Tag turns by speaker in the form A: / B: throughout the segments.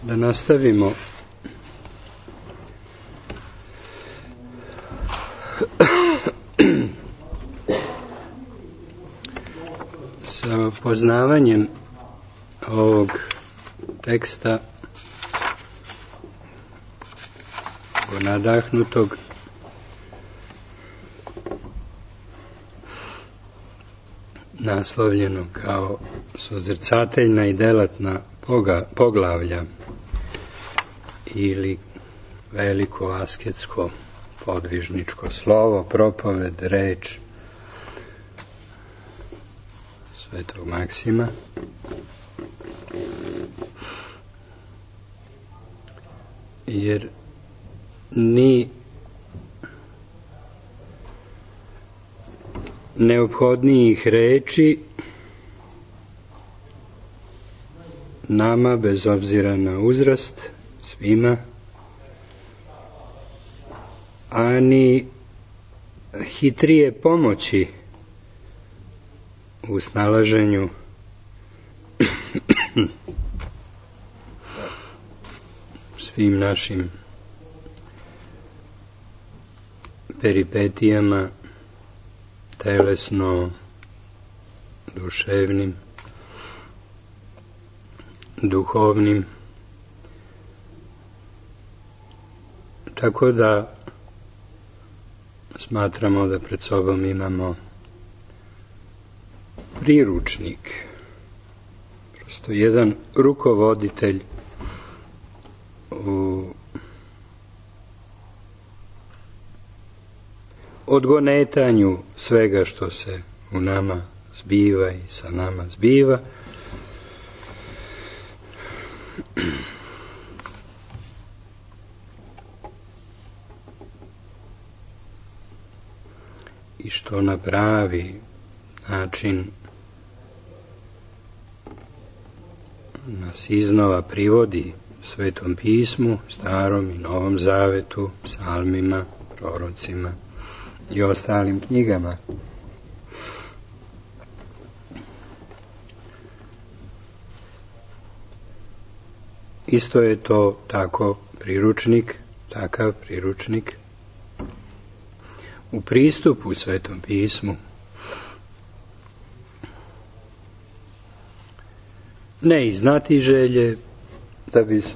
A: Da nastavimo sa poznavanjem ovog teksta nadahnutog naslovljenog kao suzrcateljna i delatna poglavlja ili veliko asketsko podvižničko slovo, propoved, reč Svetog Maksima. Jer ni neophodnijih reči nama, bez obzira na uzrast, svima, ani hitrije pomoći u snalaženju svim našim peripetijama, telesno, duševnim, duhovnim. Tako da smatramo da pred sobom imamo priručnik, prosto jedan rukovoditelj u odgonetanju svega što se u nama zbiva i sa nama zbiva. I što na pravi način nas iznova privodi Svetom pismu, Starom i Novom Zavetu, psalmima, prorocima i ostalim knjigama. Isto je to takav priručnik u pristupu Svetom pismu. Ne iz znatiželje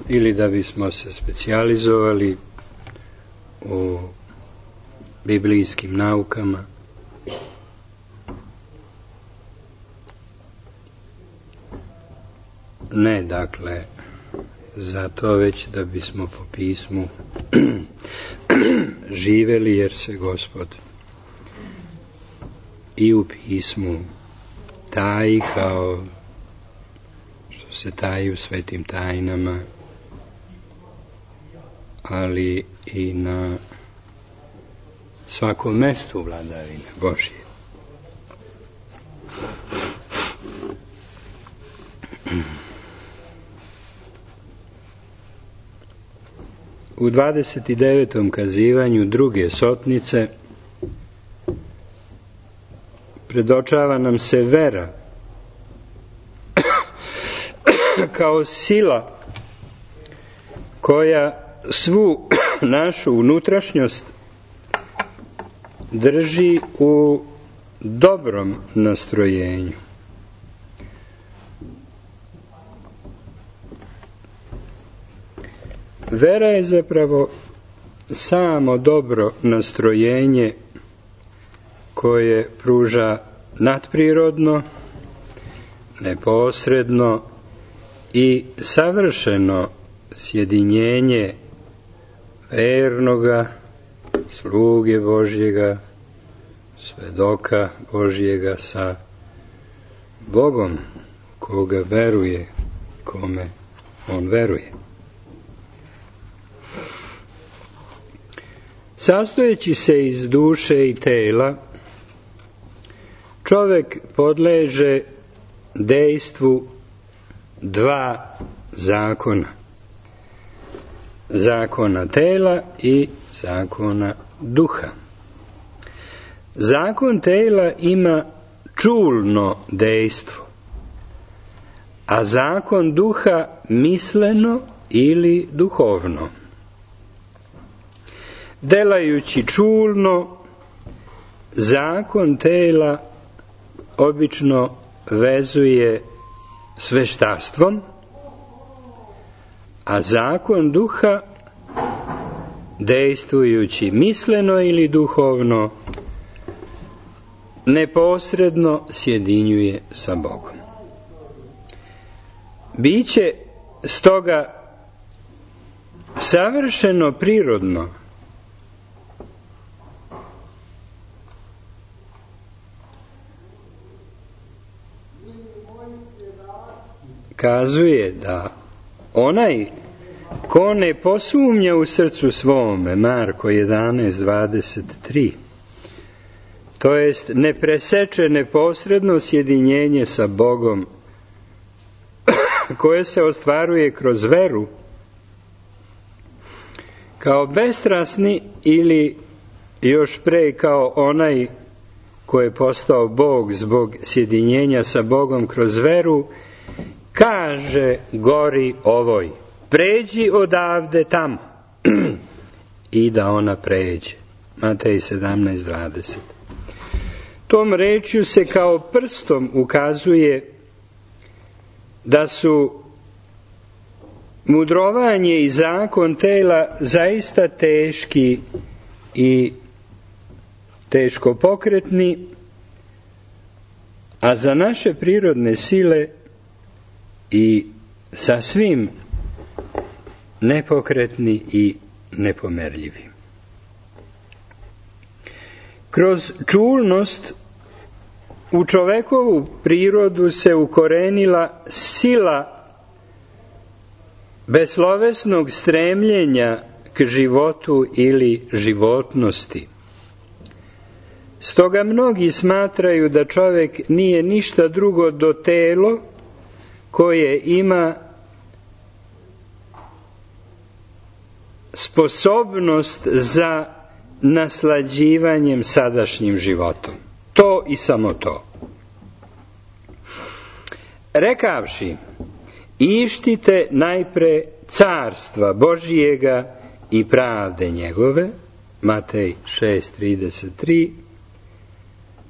A: ili da bismo se specijalizovali u biblijskim naukama, ne, dakle, zato već da bismo po pismu živeli, jer se Gospod i u pismu taji kao što se taji u svetim tajnama, ali i na svakom mestu vladavine Božje. U 29. kazivanju druge sotnice predočava nam se vera kao sila koja svu našu unutrašnjost drži u dobrom nastrojenju. Vera je zapravo samo dobro nastrojenje koje pruža nadprirodno, neposredno i savršeno sjedinjenje vernoga, sluge Božjega, svedoka Božjega sa Bogom koga veruje, kome on veruje. Sastojeći se iz duše i tela, čovjek podleže dejstvu dva zakona. Zakona tela i zakona duha. Zakon tela ima čulno dejstvo, a zakon duha misleno ili duhovno. Delajući čulno, zakon tela obično vezuje s veštaštvom, a zakon duha, dejstvujući misleno ili duhovno, neposredno sjedinjuje sa Bogom. Biće stoga savršeno prirodno kazuje da onaj ko ne posumnja u srcu svome, Marko 11:23, to jest ne preseče neposredno sjedinjenje sa Bogom koje se ostvaruje kroz veru, kao bestrasni ili još pre kao onaj ko je postao Bog zbog sjedinjenja sa Bogom kroz veru, kaže gori ovoj, pređi odavde tamo, i da ona pređe. Matej 17:20. Tom rečju se kao prstom ukazuje da su mudrovanje i zakon tela zaista teški i teško pokretni, a za naše prirodne sile i sasvim nepokretni i nepomerljivi. Kroz čulnost u čovekovu prirodu se ukorenila sila beslovesnog stremljenja k životu ili životnosti. Stoga mnogi smatraju da čovek nije ništa drugo do telo koje ima sposobnost za naslađivanjem sadašnjim životom. To i samo to. Rekavši, ištite najpre carstva Božijega i pravde njegove, Matej 6:33,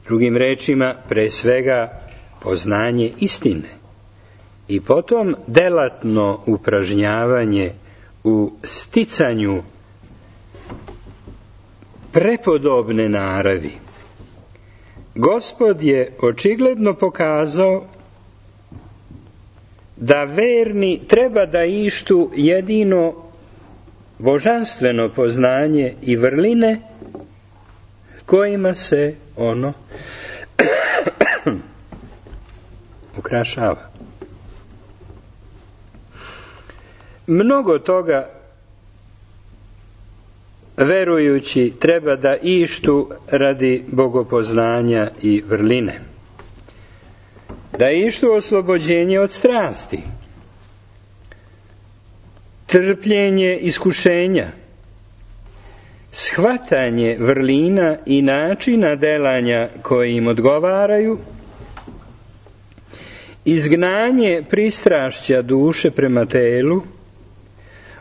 A: drugim rečima, pre svega poznanje istine, i potom delatno upražnjavanje u sticanju prepodobne naravi. Gospod je očigledno pokazao da verni treba da ištu jedino božanstveno poznanje i vrline kojima se ono ukrašava. Mnogo toga verujući treba da ištu radi bogopoznanja i vrline. Da ištu oslobođenje od strasti, trpljenje iskušenja, shvatanje vrlina i načina delanja koji im odgovaraju, izgnanje pristrašća duše prema telu,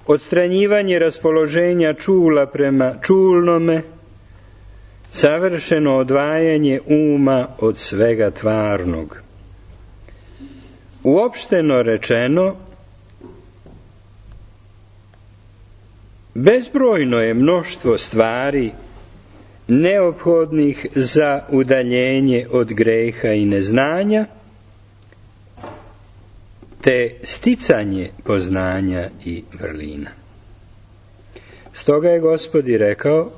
A: odstranjivanje raspoloženja čula prema čulnome, savršeno odvajanje uma od svega tvarnog. Uopšteno rečeno, bezbrojno je mnoštvo stvari neophodnih za udaljenje od greha i neznanja, te sticanje poznanja i vrlina. Stoga je Gospod i rekao,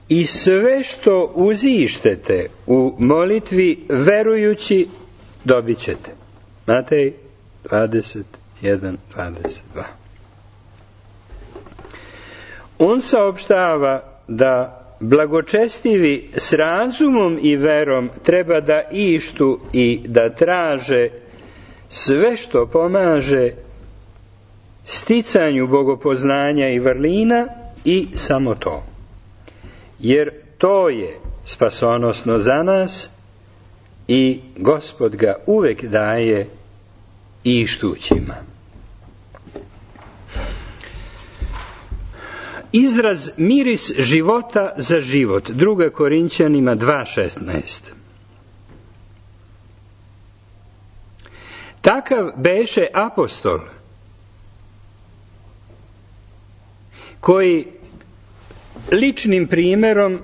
A: i sve što uzištete u molitvi verujući, dobit ćete. Matej 21:22. On saopštava da blagočestivi s razumom i verom treba da ištu i da traže sve što pomaže sticanju bogopoznanja i vrlina i samo to. Jer to je spasonosno za nas i Gospod ga uvek daje ištućima. izraz miris života za život. 2. Korinćanima 2.16. Takav beše apostol koji ličnim primjerom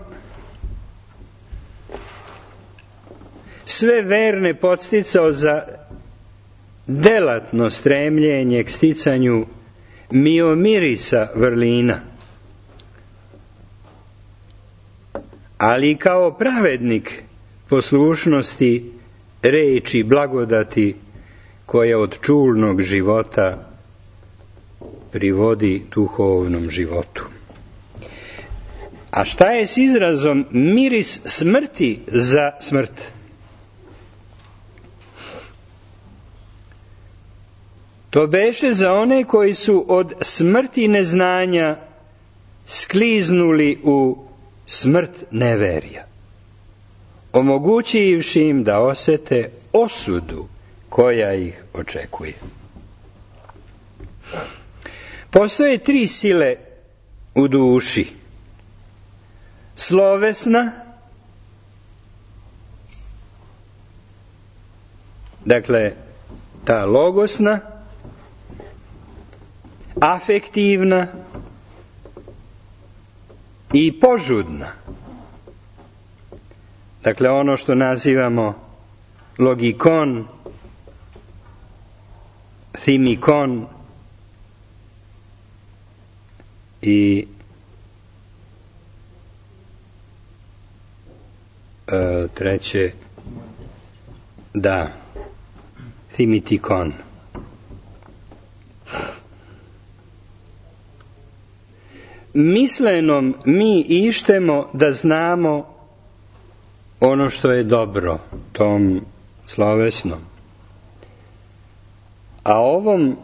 A: sve verne podsticao za delatno stremljenje k sticanju miomirisa vrlina, ali kao pravednik poslušnosti reči blagodati koja od čulnog života privodi duhovnom životu. A šta je s izrazom miris smrti za smrt? To beše za one koji su od smrti neznanja skliznuli u smrt neverja, omogućivši im da osete osudu koja ih očekuje. Postoje 3 sile u duši. Slovesna, dakle ta logosna, afektivna i požudna. Dakle ono što nazivamo logikon, thimikon i treće, da, thimitikon. Mislenom mi ištemo da znamo ono što je dobro, tom slovesnom. A ovom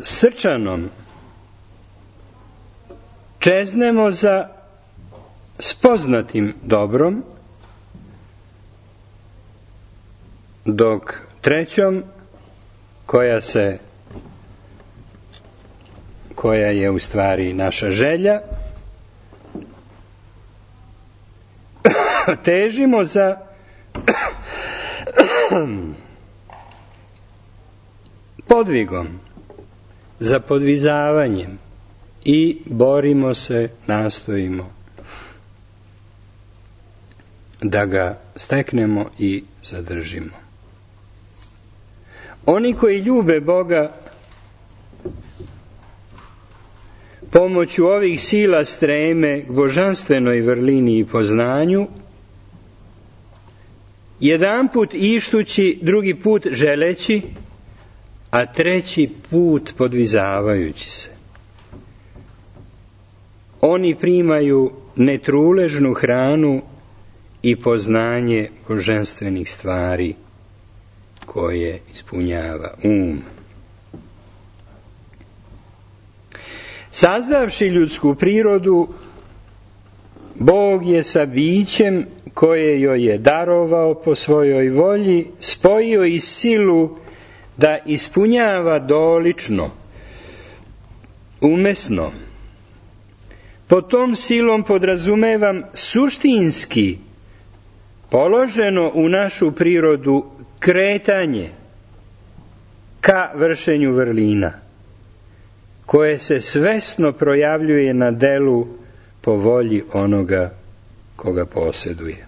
A: srčanom čeznemo za spoznatim dobrom, dok trećom, koja je u stvari naša želja, težimo za podvigom, za podvizavanjem i borimo se, nastojimo da ga steknemo i zadržimo. Oni koji ljube Boga pomoću ovih sila streme k božanstvenoj vrlini i poznanju, jedan put ištući, drugi put želeći, a treći put podvizavajući se. Oni primaju netruležnu hranu i poznanje božanstvenih stvari koje ispunjava um. Sazdavši ljudsku prirodu, Bog je sa bićem koje joj je darovao po svojoj volji spojio i silu da ispunjava dolično, umesno. Pod tom silom podrazumevam suštinski položeno u našu prirodu kretanje ka vršenju vrlina, koje se svesno projavljuje na delu po volji onoga koga posjeduje.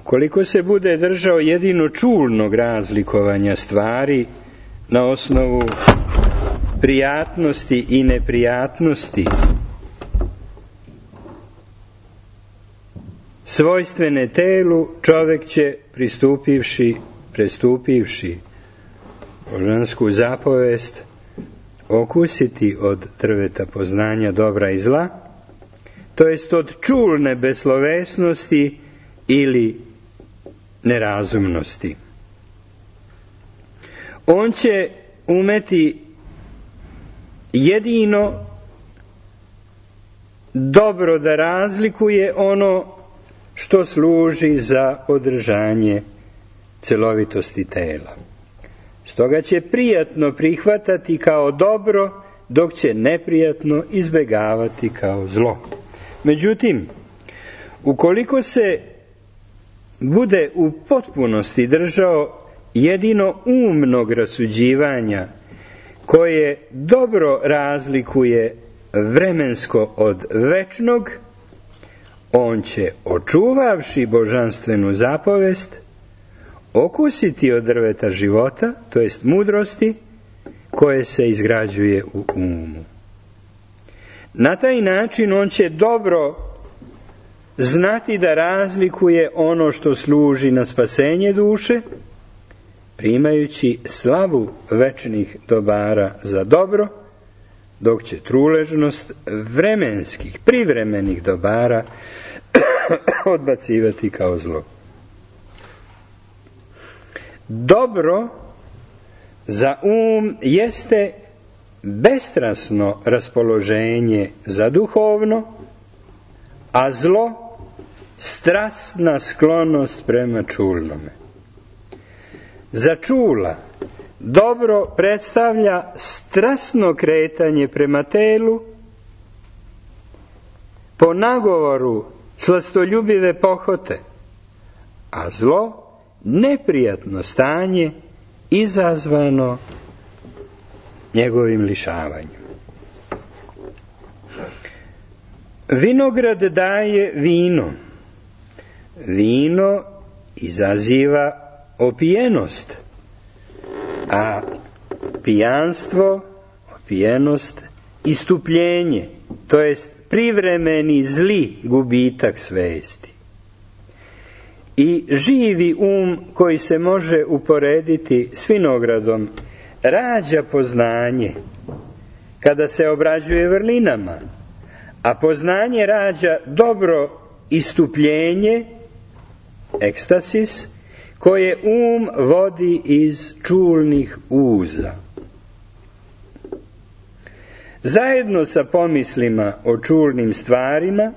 A: Ukoliko se bude držao jedino čulnog razlikovanja stvari na osnovu prijatnosti i neprijatnosti, svojstvene telu, čovjek će prestupivši božansku zapovest okusiti od drveta poznanja dobra i zla, to jest od čulne beslovesnosti ili nerazumnosti. On će umeti jedino dobro da razlikuje ono što služi za održanje celovitosti tela. Stoga će prijatno prihvatati kao dobro, dok će neprijatno izbegavati kao zlo. Međutim, ukoliko se bude u potpunosti držao jedino umnog rasuđivanja, koje dobro razlikuje vremensko od večnog, on će, očuvavši božanstvenu zapovest, okusiti od drveta života, to jest mudrosti, koje se izgrađuje u umu. Na taj način on će dobro znati da razlikuje ono što služi na spasenje duše, primajući slavu večnih dobara za dobro, dok će truležnost vremenskih, privremenih dobara odbacivati kao zlo. Dobro za jeste bestrasno raspoloženje za duhovno, a zlo strasna sklonost prema čulnome. Za čula dobro predstavlja strasno kretanje prema telu, po nagovoru slastoljubive pohote, a zlo neprijatno stanje izazvano njegovim lišavanjem. Vinograd daje vino. Vino izaziva opijenost, a pijanstvo, opijenost, istupljenje, to jest privremeni zli gubitak svesti. I živi koji se može uporediti s vinogradom rađa poznanje kada se obrađuje vrlinama, a poznanje rađa dobro istupljenje, ekstasis, koje vodi iz čulnih uza. Zajedno sa pomislima o čulnim stvarima,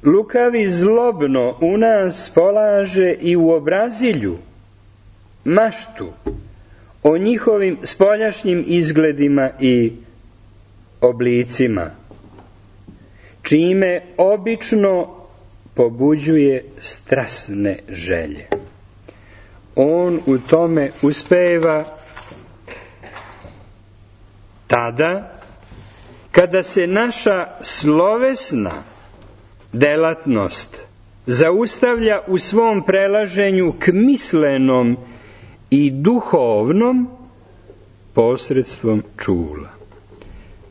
A: lukavi zlobno u nas polaže i u obrazilju maštu o njihovim spoljašnjim izgledima i oblicima, čime obično pobuđuje strasne želje. On u tome uspeva tada kada se naša slovesna delatnost zaustavlja u svom prelaženju k mislenom i duhovnom posredstvom čula.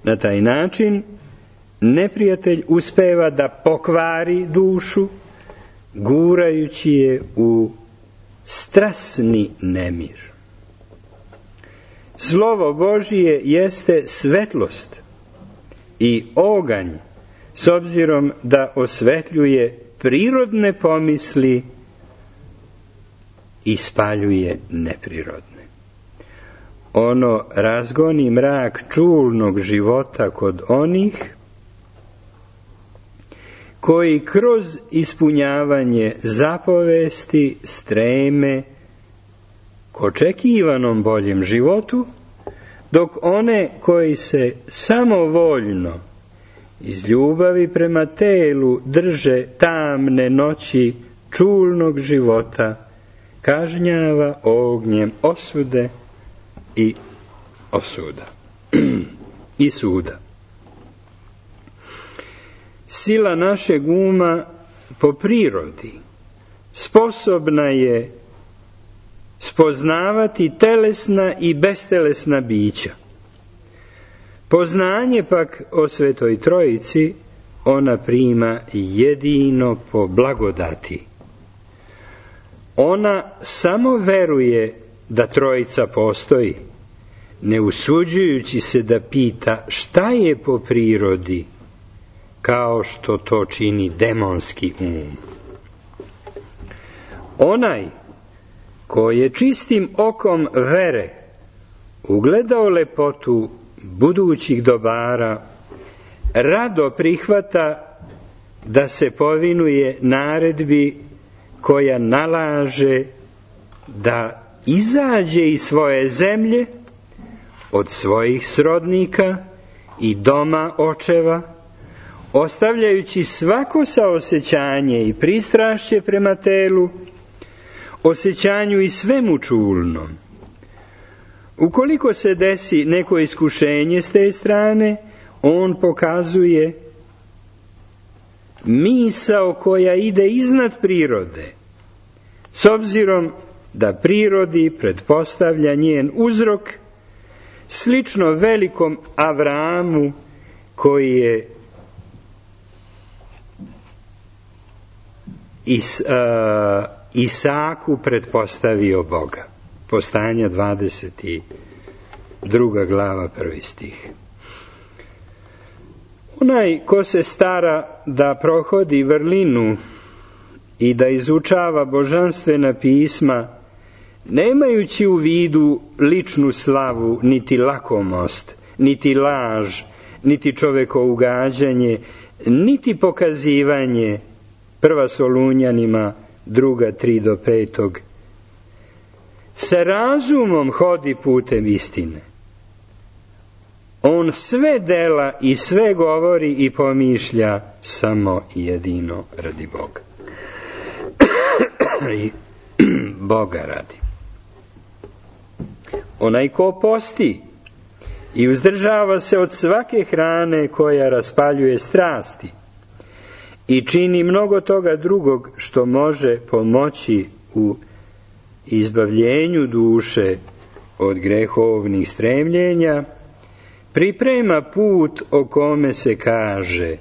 A: Na taj način neprijatelj uspeva da pokvari dušu, gurajući je u strasni nemir. Slovo Božije jeste svetlost i oganj, s obzirom da osvetljuje prirodne pomisli i spaljuje neprirodne. Ono razgoni mrak čulnog života kod onih koji kroz ispunjavanje zapovesti streme k očekivanom boljem životu, dok one koji se samovoljno iz ljubavi prema telu drže tamne noći čulnog života, kažnjava ognjem osude i osuda i suda. Sila našeg po prirodi sposobna je spoznavati telesna i bestelesna bića. Poznanje pak o Svetoj Trojici ona prima jedino po blagodati. Ona samo veruje da Trojica postoji, ne usuđujući se da pita šta je po prirodi, kao što to čini demonski Onaj ko je čistim okom vere ugledao lepotu budućih dobara, rado prihvata da se povinuje naredbi koja nalaže da izađe iz svoje zemlje, od svojih srodnika i doma očeva, ostavljajući svako saosećanje i pristrašće prema telu, osjećanju i svemu čulnom. Ukoliko se desi neko iskušenje s te strane, on pokazuje misao koja ide iznad prirode, s obzirom da prirodi pretpostavlja njen uzrok, slično velikom Avramu koji je Isaku pretpostavio Boga. Postajanja 22. glava 1. stih. Onaj ko se stara da prohodi vrlinu i da izučava božanstvena pisma, nemajući u vidu ličnu slavu, niti lakomost, niti laž, niti čovekougađanje, niti pokazivanje, 1. Solunjanima 2. 3 do 5. Sa razumom hodi putem istine. On sve dela i sve govori i pomišlja samo jedino radi Boga. I Boga radi. Onaj ko posti i uzdržava se od svake hrane koja raspaljuje strasti i čini mnogo toga drugog što može pomoći u izbavljenju duše od grehovnih stremljenja, priprema put o kome se kaže: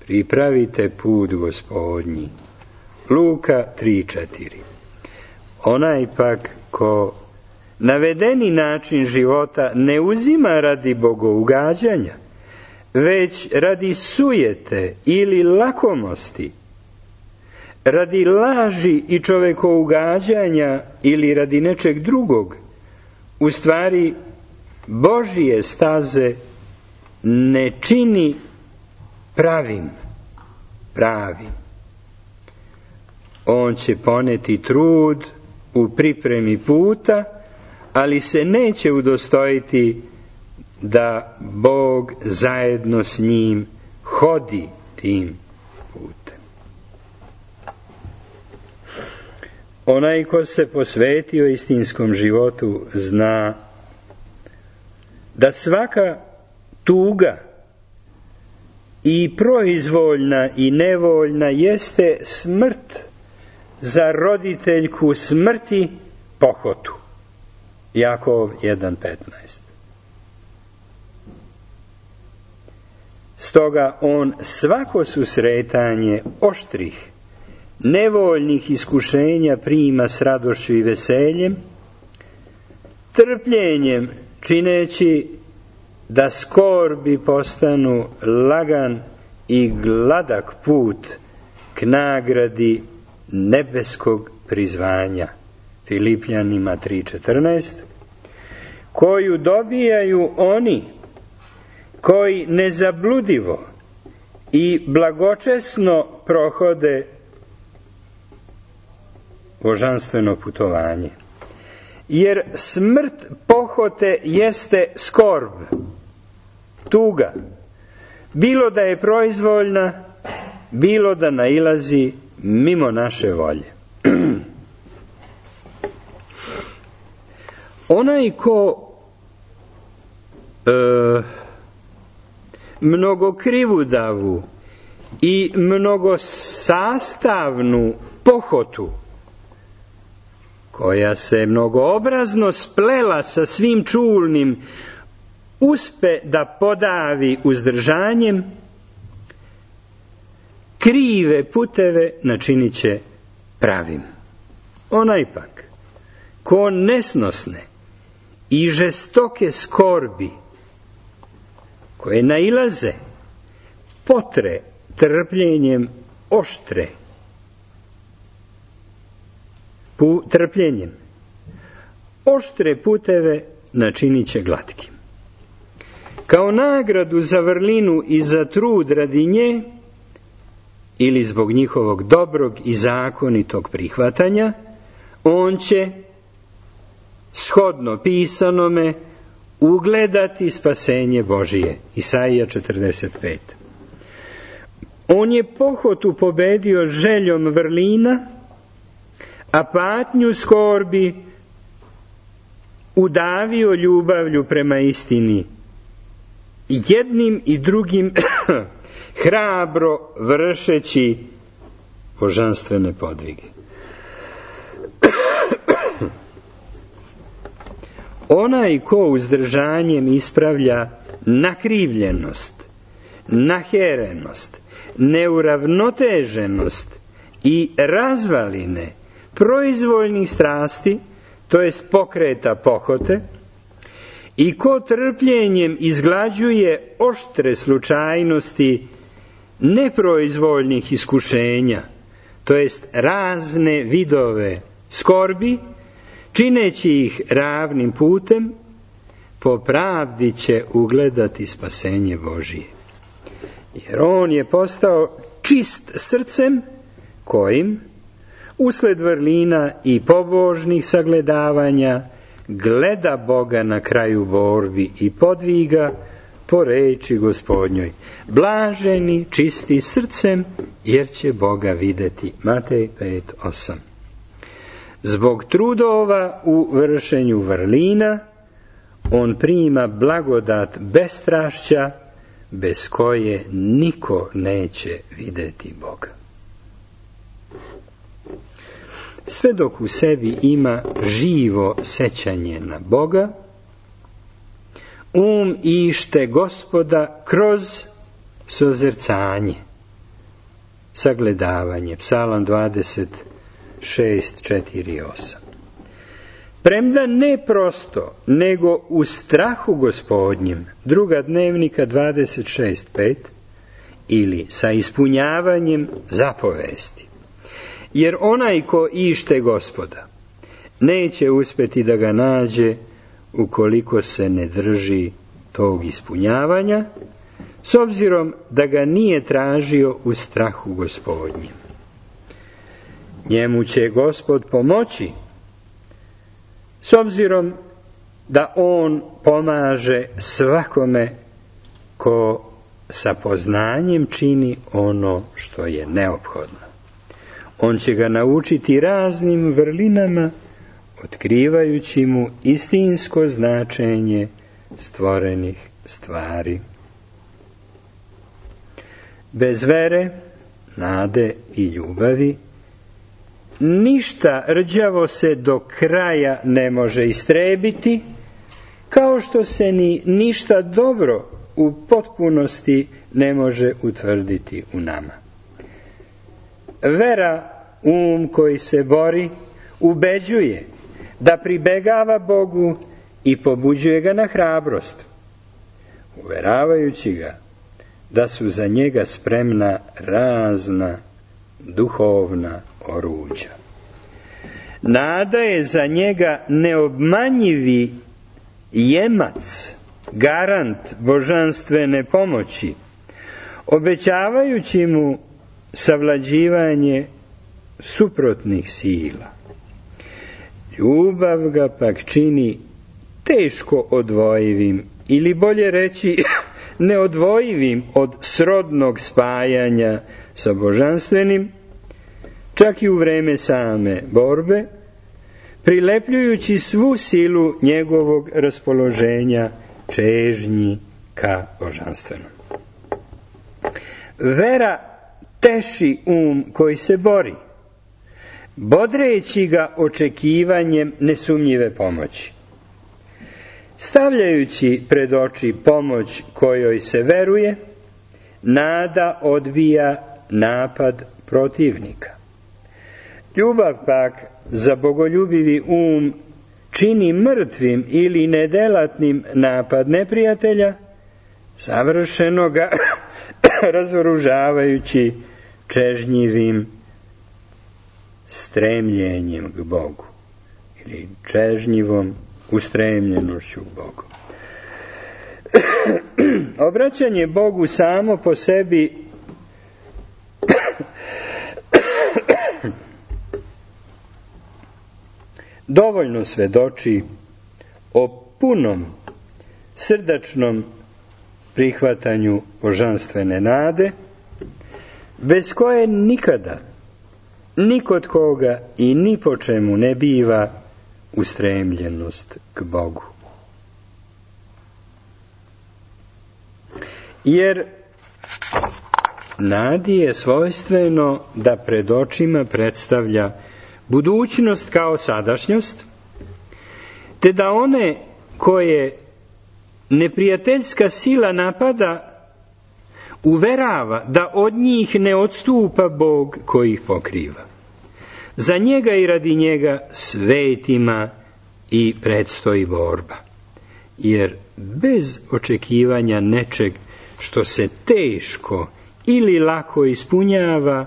A: pripravite put Gospodnji. Luka 3:4. Onaj pak ko navedeni način života ne uzima radi bogougađanja, već radi sujete ili lakomosti, radi laži i čovekougađanja ili radi nečeg drugog, u stvari Božije staze ne čini pravim. On će poneti trud u pripremi puta, ali se neće udostojiti da Bog zajedno s njim hodi tim putem. Onaj ko se posvetio istinskom životu zna da svaka tuga, i proizvoljna i nevoljna, jeste smrt za roditeljku smrti pohotu. Jakov 1:15. Stoga on svako susretanje oštrih, nevoljnih iskušenja prima s radošću i veseljem, trpljenjem čineći da skorbi postanu lagan i gladak put k nagradi nebeskog prizvanja. Filipljanima 3:14, koju dobijaju oni koji nezabludivo i blagočesno prohode božanstveno putovanje. Jer smrt pohote jeste skorb, tuga, bilo da je proizvoljna, bilo da nailazi mimo naše volje. Onaj ko mnogokrivudavu i mnogosastavnu pohotu, koja se mnogoobrazno splela sa svim čulnim, uspe da podavi uzdržanjem, krive puteve načinit će pravim. Onaj pak ko nesnosne i žestoke skorbi, koje nailaze, potre trpljenjem oštre, trpljenjem oštre puteve načinit će glatkim. Kao nagradu za vrlinu i za trud radi nje, ili zbog njihovog dobrog i zakonitog prihvatanja, on će shodno pisanome, ugledati spasenje Božije. Isaija 45. On je pohotu pobedio željom vrlina, a patnju skorbi udavio ljubavlju prema istini, jednim i drugim hrabro vršeći božanstvene podvige. Onaj ko uzdržanjem ispravlja nakrivljenost, naherenost, neuravnoteženost i razvaline proizvoljnih strasti, to jest pokreta pohote, i ko trpljenjem izglađuje oštre slučajnosti neproizvoljnih iskušenja, to jest razne vidove skorbi, čineći ih ravnim putem, po pravdi će ugledati spasenje Božije. Jer on je postao čist srcem, kojim, usled vrlina i pobožnih sagledavanja, gleda Boga na kraju borbi i podviga po reči Gospodnjoj. Blaženi, čisti srcem, jer će Boga videti. Matej 5:8. Zbog trudova u vršenju vrlina, on prima blagodat bestrašća, bez koje niko neće videti Boga. Sve dok u sebi ima živo sećanje na Boga, ište Gospoda kroz sozercanje, sagledavanje. Psalam 26:4-8. Premda ne prosto, nego u strahu Gospodnjem, Druga Dnevnika 26:5, ili sa ispunjavanjem zapovesti. Jer onaj ko ište Gospoda, neće uspjeti da ga nađe ukoliko se ne drži tog ispunjavanja, s obzirom da ga nije tražio u strahu Gospodnjem. Njemu će Gospod pomoći, s obzirom da on pomaže svakome ko sa poznanjem čini ono što je neophodno. On će ga naučiti raznim vrlinama, otkrivajući mu istinsko značenje stvorenih stvari. Bez vere, nade i ljubavi, ništa rđavo se do kraja ne može istrebiti, kao što se ni ništa dobro u potpunosti ne može utvrditi u nama. Vera, koji se bori, ubeđuje da pribegava Bogu i pobuđuje ga na hrabrost, uveravajući ga da su za njega spremna razna duhovna oruđa. Nada je za njega neobmanjivi jemac, garant božanstvene pomoći, obećavajući mu savlađivanje suprotnih sila. Ljubav ga pak čini teško odvojivim, ili bolje reći neodvojivim od srodnog spajanja sa božanstvenim, čak i u vreme same borbe, prilepljujući svu silu njegovog raspoloženja čežnji ka božanstvenom. Vera teši koji se bori, bodreći ga očekivanjem nesumnjive pomoći. Stavljajući pred oči pomoć kojoj se veruje, nada odbija napad protivnika. Ljubav pak za bogoljubivi čini mrtvim ili nedelatnim napad neprijatelja, savršeno ga razoružavajući čežnjivim stremljenjem k Bogu ili čežnjivom ustremljenošću k Bogu. Obraćanje Bogu samo po sebi dovoljno svedoči o punom, srdačnom prihvatanju božanstvene nade, bez koje nikada, ni kod koga i ni po čemu ne biva ustremljenost k Bogu. Jer nadi je svojstveno da pred očima predstavlja budućnost kao sadašnjost, te da one koje neprijateljska sila napada uverava da od njih ne odstupa Bog koji ih pokriva. Za njega i radi njega svetima i predstoji borba. Jer bez očekivanja nečeg što se teško ili lako ispunjava,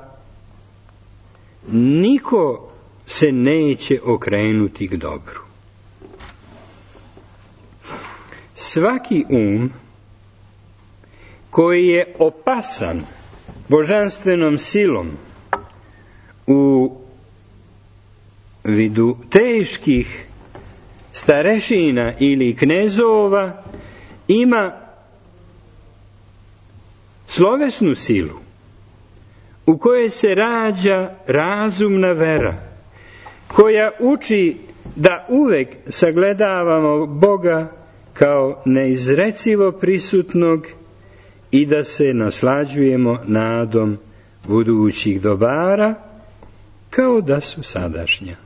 A: niko se neće okrenuti k dobru. Svaki koji je opasan božanstvenom silom u vidu teških starešina ili knezova ima slovesnu silu u kojoj se rađa razumna vera, koja uči da uvek sagledavamo Boga kao neizrecivo prisutnog i da se naslađujemo nadom budućih dobara kao da su sadašnja.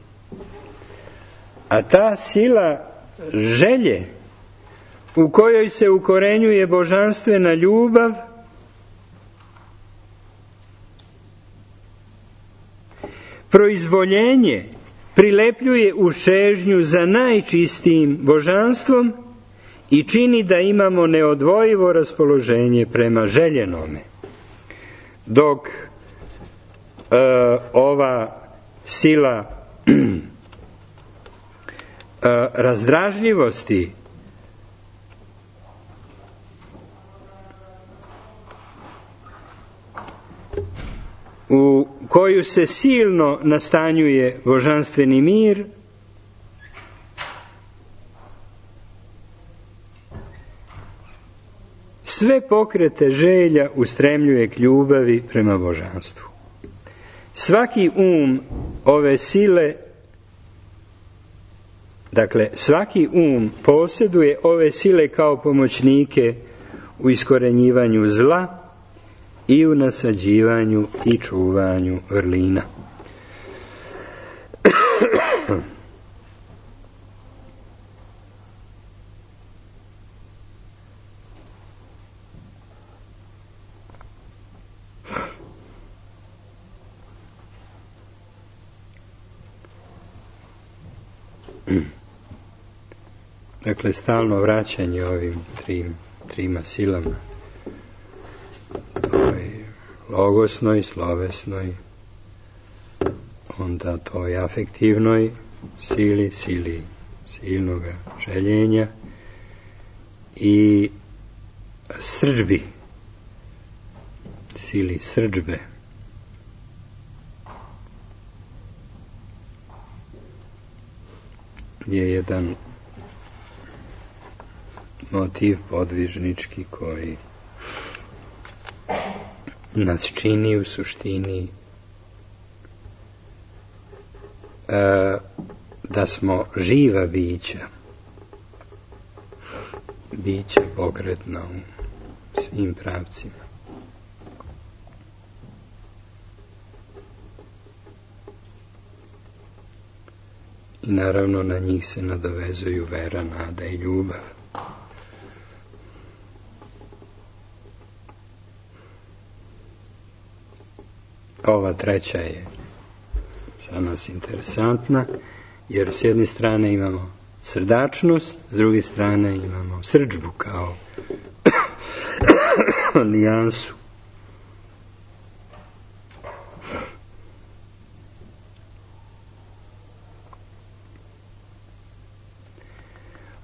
A: A ta sila želje u kojoj se ukorenjuje božanstvena ljubav proizvoljenje prilepljuje u čežnju za najčistijim božanstvom i čini da imamo neodvojivo raspoloženje prema željenome. Dok ova sila razdražljivosti u koju se silno nastanjuje božanstveni mir, sve pokrete želja ustremljuje k ljubavi prema božanstvu. Svaki ove sile, svaki posjeduje ove sile kao pomoćnike u iskorenjivanju zla i u nasađivanju i čuvanju vrlina. Stalno vraćanje ovim trima silama, logosnoj, slovesnoj, onda toj afektivnoj sili silnog željenja i srdžbi, sili srdžbe. Je jedan motiv podvižnički koji nas čini u suštini da smo živa bića pokretna u svim pravcima. I naravno na njih se nadovezuju vera, nada i ljubav. Ova treća je za nas interesantna, jer s jedne strane imamo srdačnost, s druge strane imamo srdžbu kao nijansu.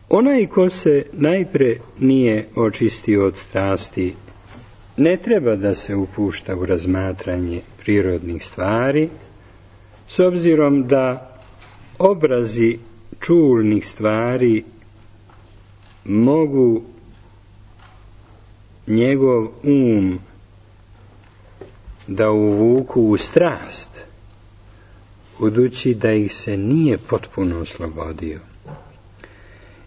A: Onaj ko se najpre nije očistio od strasti, ne treba da se upušta u razmatranje prirodnih stvari, s obzirom da obrazi čulnih stvari mogu njegov da uvuku u strast, budući da ih se nije potpuno oslobodio.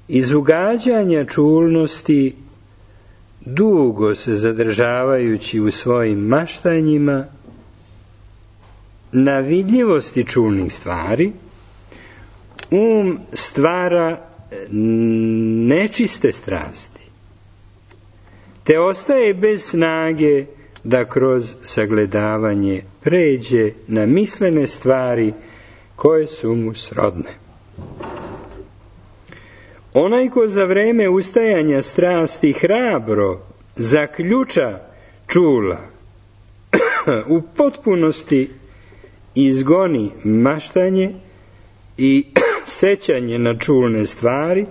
A: Iz ugađanja čulnosti, dugo se zadržavajući u svojim maštanjima, na vidljivosti čulnih stvari, stvara nečiste strasti, te ostaje bez snage da kroz sagledavanje pređe na mislene stvari koje su mu srodne. Onaj ko za vreme ustajanja strasti hrabro zaključa čula, u potpunosti izgoni maštanje i sećanje na čulne stvari,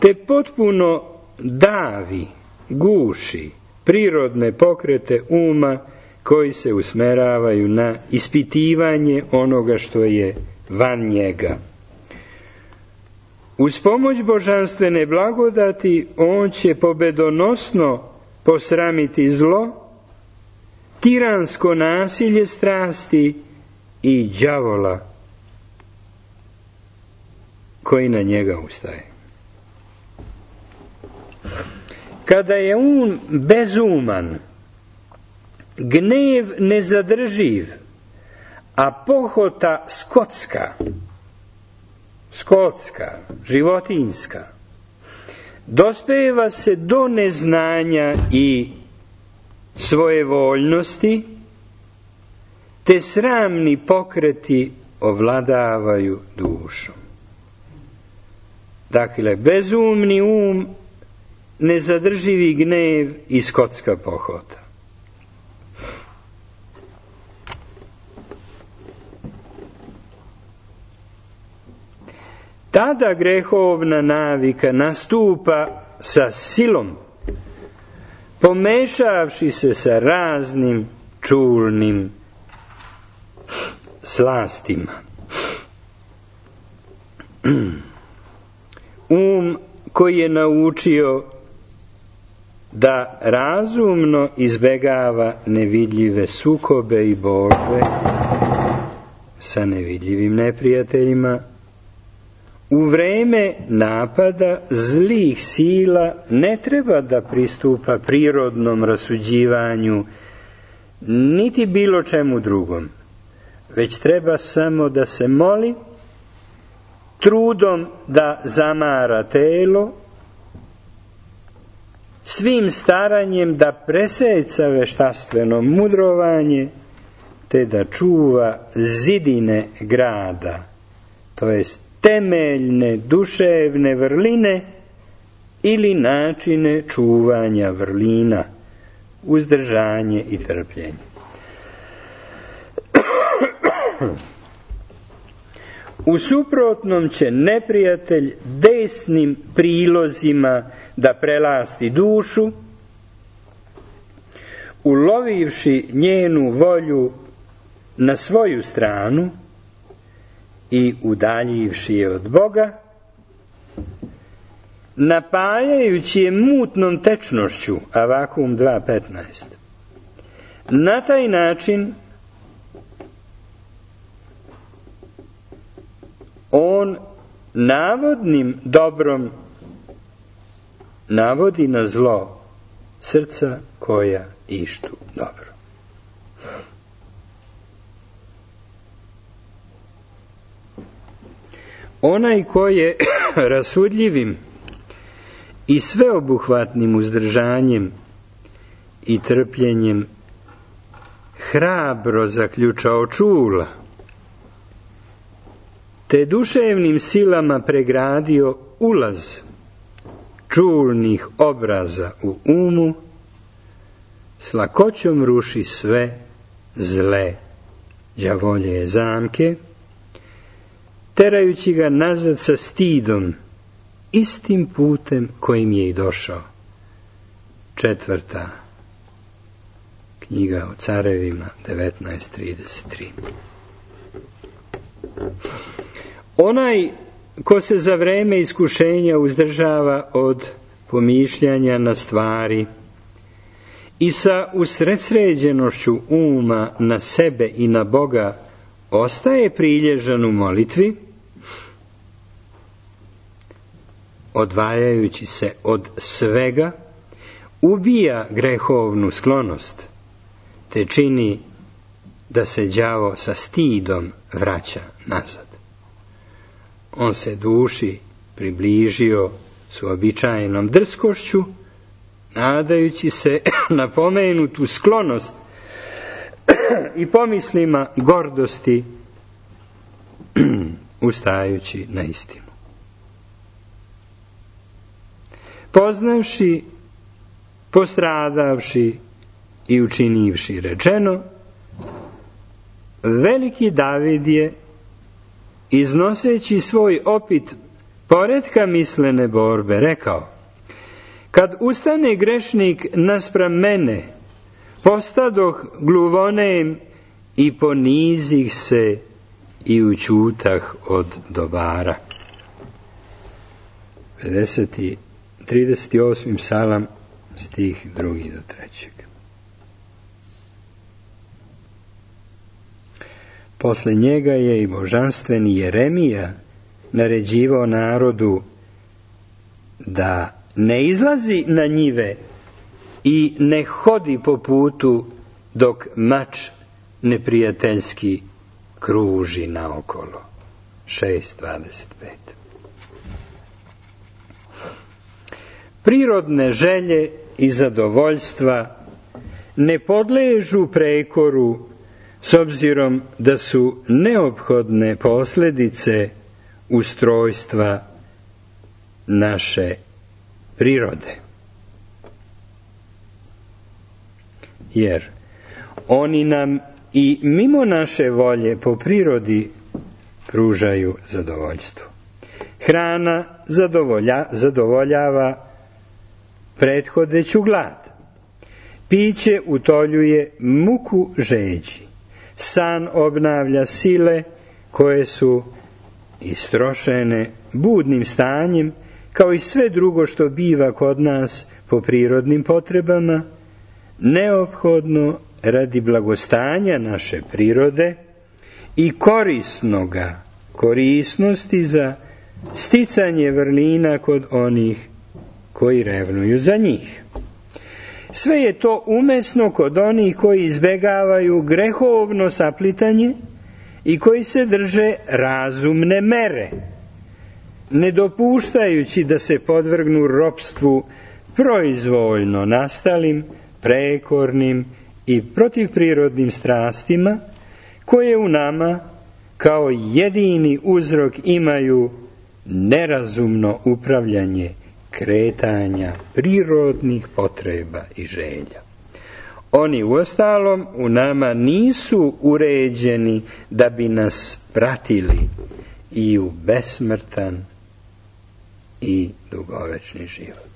A: te potpuno davi, guši prirodne pokrete koji se usmeravaju na ispitivanje onoga što je van njega. Uz pomoć božanstvene blagodati on će pobedonosno posramiti zlo, tiransko nasilje strasti i đavola koji na njega ustaje. Kada je bezuman, gnev nezadrživ, a pohota skotska, životinjska, dospeva se do neznanja i svojevoljnosti, te sramni pokreti ovladavaju dušom. Dakle, bezumni nezadrživi gnev i skotska pohota. Tada grehovna navika nastupa sa silom, pomešavši se sa raznim čulnim slastima. Koji je naučio da razumno izbegava nevidljive sukobe i borbe sa nevidljivim neprijateljima, u vreme napada zlih sila ne treba da pristupa prirodnom rasuđivanju niti bilo čemu drugom, već treba samo da se moli, trudom da zamara telo, svim staranjem da preseca veštaštveno mudrovanje, te da čuva zidine grada, to jest temeljne duševne vrline ili načine čuvanja vrlina, uzdržanje i trpljenje. U suprotnom će neprijatelj desnim prilozima da prelasti dušu, ulovivši njenu volju na svoju stranu i udaljivši je od Boga, napajajući je mutnom tečnošću, Avakum 2.15. Na taj način on navodnim dobrom navodi na zlo srca koja ištu dobro. Onaj ko je rasudljivim i sveobuhvatnim uzdržanjem i trpljenjem hrabro zaključao čula, te duševnim silama pregradio ulaz čulnih obraza u s lakoćom ruši sve zle đavolje zamke, terajući ga nazad sa stidom, istim putem kojim je i došao. 4. knjiga o carevima 19.33. Onaj ko se za vreme iskušenja uzdržava od pomišljanja na stvari i sa usredsređenošću uma na sebe i na Boga ostaje prilježan u molitvi, odvajajući se od svega, ubija grehovnu sklonost, te čini da se đavo sa stidom vraća nazad. On se duši približio s uobičajenom drskošću, nadajući se na pomenutu sklonost i pomislima gordosti, ustajući na istinu. Poznavši, postradavši i učinivši rečeno, veliki David je, iznoseći svoj opit poretka mislene borbe, rekao: kad ustane grešnik naspram mene, postadoh gluvonem i ponizih se i učutah od dobara. 38. psalam, stih 2. do 3. Posle njega je i božanstveni Jeremija naređivao narodu da ne izlazi na njive i ne hodi po putu dok mač neprijateljski kruži naokolo. 6.25. Prirodne želje i zadovoljstva ne podležu prekoru s obzirom da su neophodne posljedice ustrojstva naše prirode. Jer oni nam i mimo naše volje po prirodi pružaju zadovoljstvo. Hrana zadovoljava prethodeću glad. Piće utoljuje muku žeđi. San obnavlja sile koje su istrošene budnim stanjem, kao i sve drugo što biva kod nas po prirodnim potrebama, neophodno radi blagostanja naše prirode i korisnosti za sticanje vrlina kod onih koji revnuju za njih. Sve je to umesno kod onih koji izbegavaju grehovno saplitanje i koji se drže razumne mere, ne dopuštajući da se podvrgnu ropstvu proizvoljno nastalim, prekornim i protivprirodnim strastima, koje u nama kao jedini uzrok imaju nerazumno upravljanje kretanja prirodnih potreba i želja. Oni uostalom u nama nisu uređeni da bi nas pratili i u besmrtan i dugovečni život.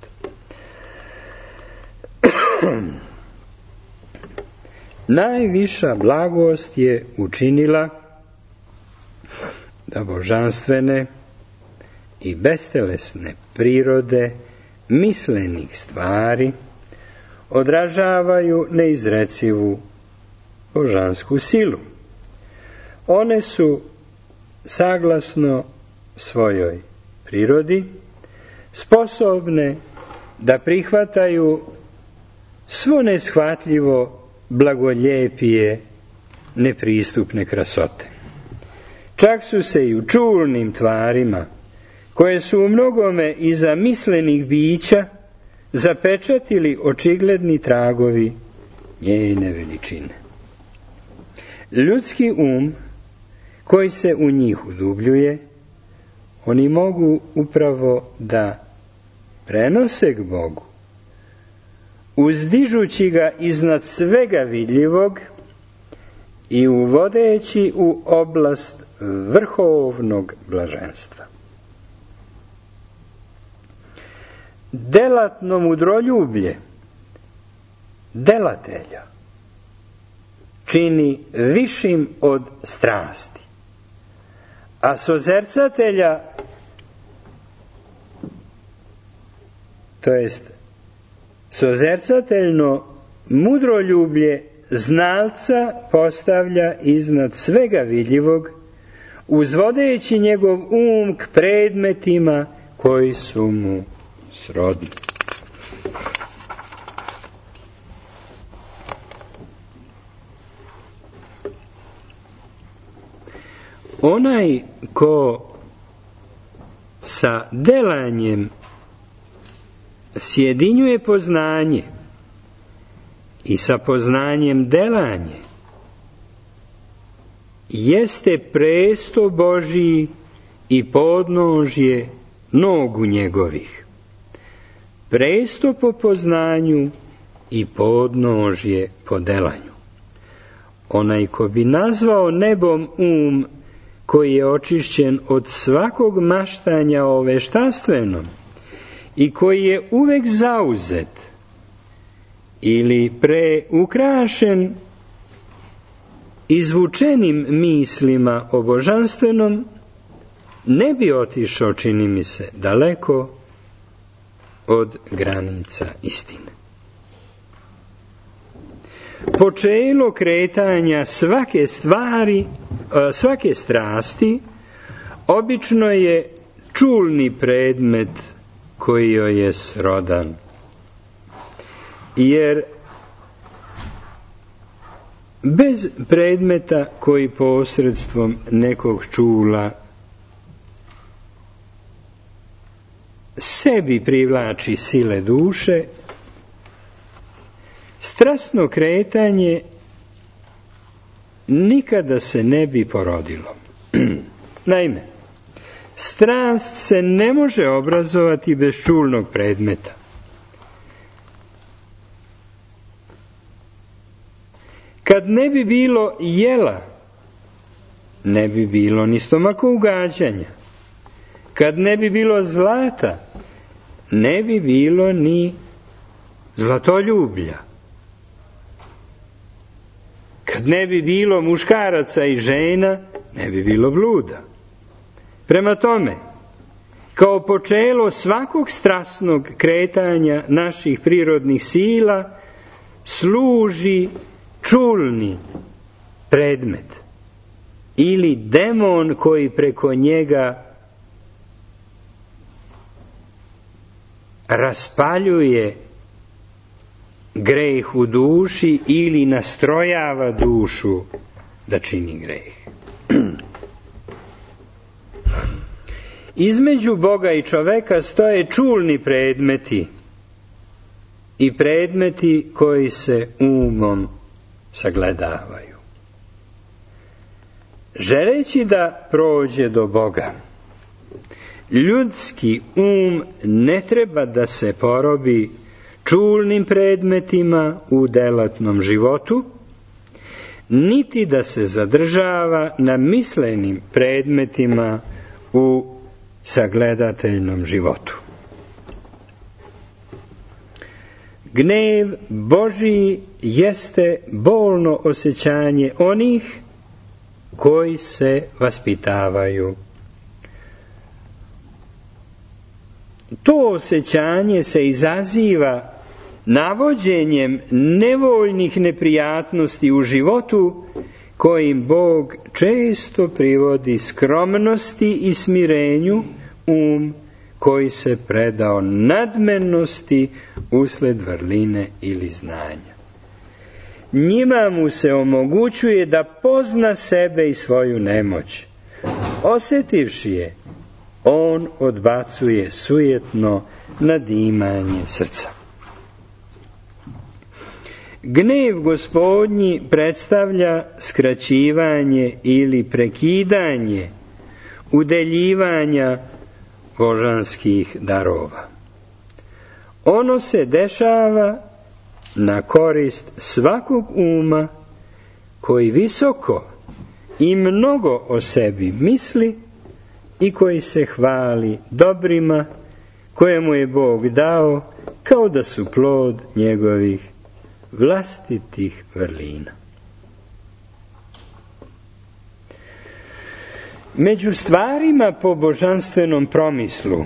A: Najviša blagost je učinila da božanstvene i bestelesne prirode mislenih stvari odražavaju neizrecivu božansku silu. One su, saglasno svojoj prirodi, sposobne da prihvataju svo neshvatljivo blagoljepije nepristupne krasote. Čak su se i u čulnim tvarima, koje su u mnogome iza mislenih bića, zapečatili očigledni tragovi njene veličine. Ljudski koji se u njih udubljuje, oni mogu upravo da prenose k Bogu, uzdižući ga iznad svega vidljivog i uvodeći u oblast vrhovnog blaženstva. Delatno mudroljublje delatelja čini višim od strasti, a sozercatelja to jest sozercateljno mudroljublje znalca postavlja iznad svega vidljivog, uzvodeći njegov k predmetima koji su mu srodni. Onaj ko sa delanjem sjedinjuje poznanje i sa poznanjem delanje, jeste presto Božiji i podnožje nogu njegovih. Presto po poznanju i podnožje po delanju. Onaj ko bi nazvao nebom koji je očišćen od svakog maštanja o veštaštvenom i koji je uvek zauzet ili preukrašen izvučenim mislima o božanstvenom, ne bi otišao, čini mi se, daleko od granica istine. Počelo kretanja svake strasti obično je čulni predmet koji joj je srodan. Jer bez predmeta koji posredstvom nekog čula sebi privlači sile duše, strasno kretanje nikada se ne bi porodilo. Naime, strast se ne može obrazovati bez čulnog predmeta. Kad ne bi bilo jela, ne bi bilo ni stomakougađanja. Kad ne bi bilo zlata, ne bi bilo ni zlatoljublja. Kad ne bi bilo muškaraca i žena, ne bi bilo bluda. Prema tome, kao počelo svakog strasnog kretanja naših prirodnih sila, služi čulni predmet ili demon koji preko njega raspaljuje greh u duši ili nastrojava dušu da čini greh. Između Boga i čoveka stoje čulni predmeti i predmeti koji se umom sagledavaju. Želeći da prođe do Boga, ljudski ne treba da se porobi čulnim predmetima u delatnom životu, niti da se zadržava na mislenim predmetima u sagledateljnom životu. Gnev Božiji jeste bolno osjećanje onih koji se vaspitavaju. To osjećanje se izaziva navođenjem nevoljnih neprijatnosti u životu kojim Bog često privodi skromnosti i smirenju koji se predao nadmenosti usled vrline ili znanja. Njima mu se omogućuje da pozna sebe i svoju nemoć. Osjetivši je, on odbacuje sujetno nadimanje srca. Gnev Gospodnji predstavlja skraćivanje ili prekidanje udeljivanja božanskih darova. Ono se dešava na korist svakog koji visoko i mnogo o sebi misli i koji se hvali dobrima koje mu je Bog dao kao da su plod njegovih vlastitih vrlina. Među stvarima po božanstvenom promislu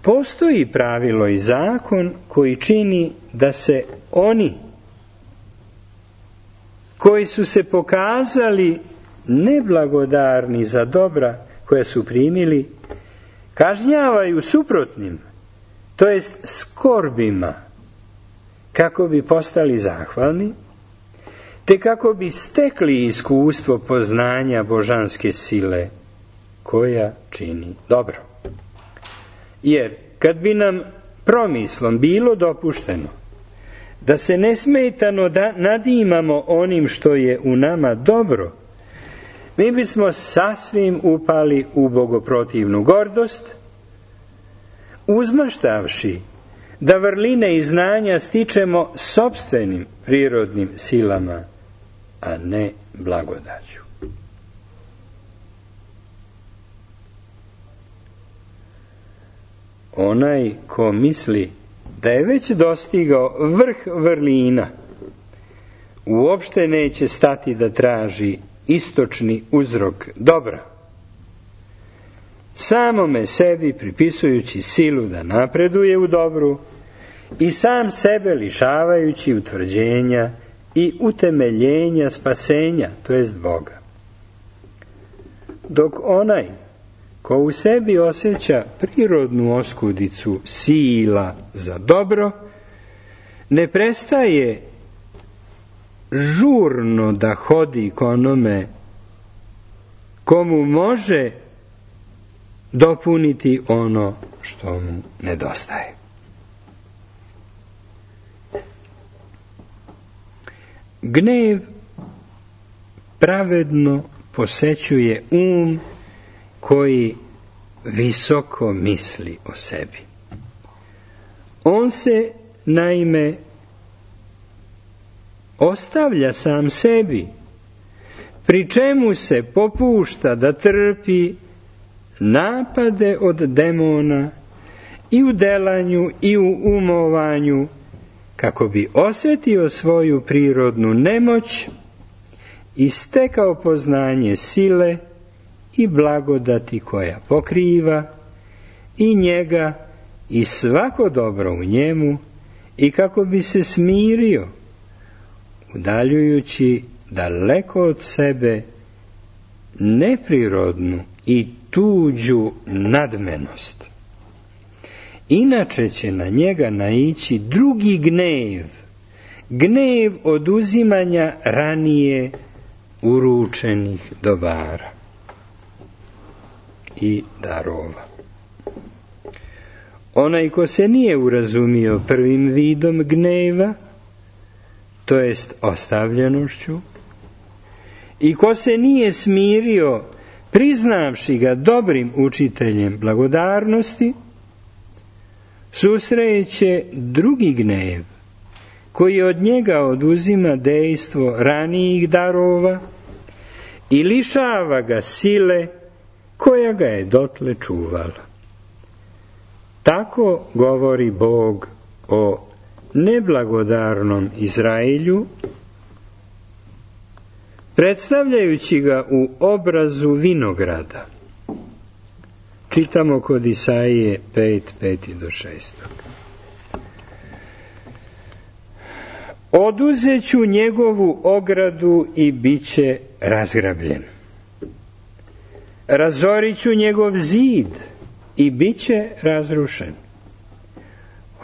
A: postoji pravilo i zakon koji čini da se oni koji su se pokazali neblagodarni za dobra koja su primili, kažnjavaju suprotnim, to jest skorbima, kako bi postali zahvalni, te kako bi stekli iskustvo poznanja božanske sile koja čini dobro. Jer kad bi nam promislom bilo dopušteno da se nesmetano nadimamo onim što je u nama dobro, mi bismo sasvim upali u bogoprotivnu gordost, uzmaštavši da vrline i znanja stičemo sopstvenim prirodnim silama, a ne blagodaću. Onaj ko misli da je već dostigao vrh vrlina, uopšte neće stati da traži istočni uzrok dobra, samome sebi pripisujući silu da napreduje u dobru i sam sebe lišavajući utvrđenja i utemeljenja spasenja, to jest Boga. Dok onaj ko u sebi osjeća prirodnu oskudicu sila za dobro, ne prestaje žurno da hodi k onome komu može dopuniti ono što mu nedostaje. Gnev pravedno posećuje koji visoko misli o sebi. On se, naime, ostavlja sam sebi, pri čemu se popušta da trpi napade od demona i u delanju i u umovanju, kako bi osjetio svoju prirodnu nemoć i stekao poznanje sile i blagodati koja pokriva i njega i svako dobro u njemu, i kako bi se smirio, udaljujući daleko od sebe neprirodnu i tuđu nadmenost. Inače će na njega naići drugi gnev, gnev oduzimanja ranije uručenih dobara i darova. Onaj ko se nije urazumio prvim vidom gneva, to jest ostavljenošću, i ko se nije smirio priznavši ga dobrim učiteljem blagodarnosti, susreće drugi gnev, koji od njega oduzima dejstvo ranijih darova i lišava ga sile koja ga je dotle čuvala. Tako govori Bog o neblagodarnom Izraelju, predstavljajući ga u obrazu vinograda. Čitamo kod Isaije 5:5-6. Oduzeću njegovu ogradu i bit će razgrabljen. Razoriću njegov zid i bit će razrušen.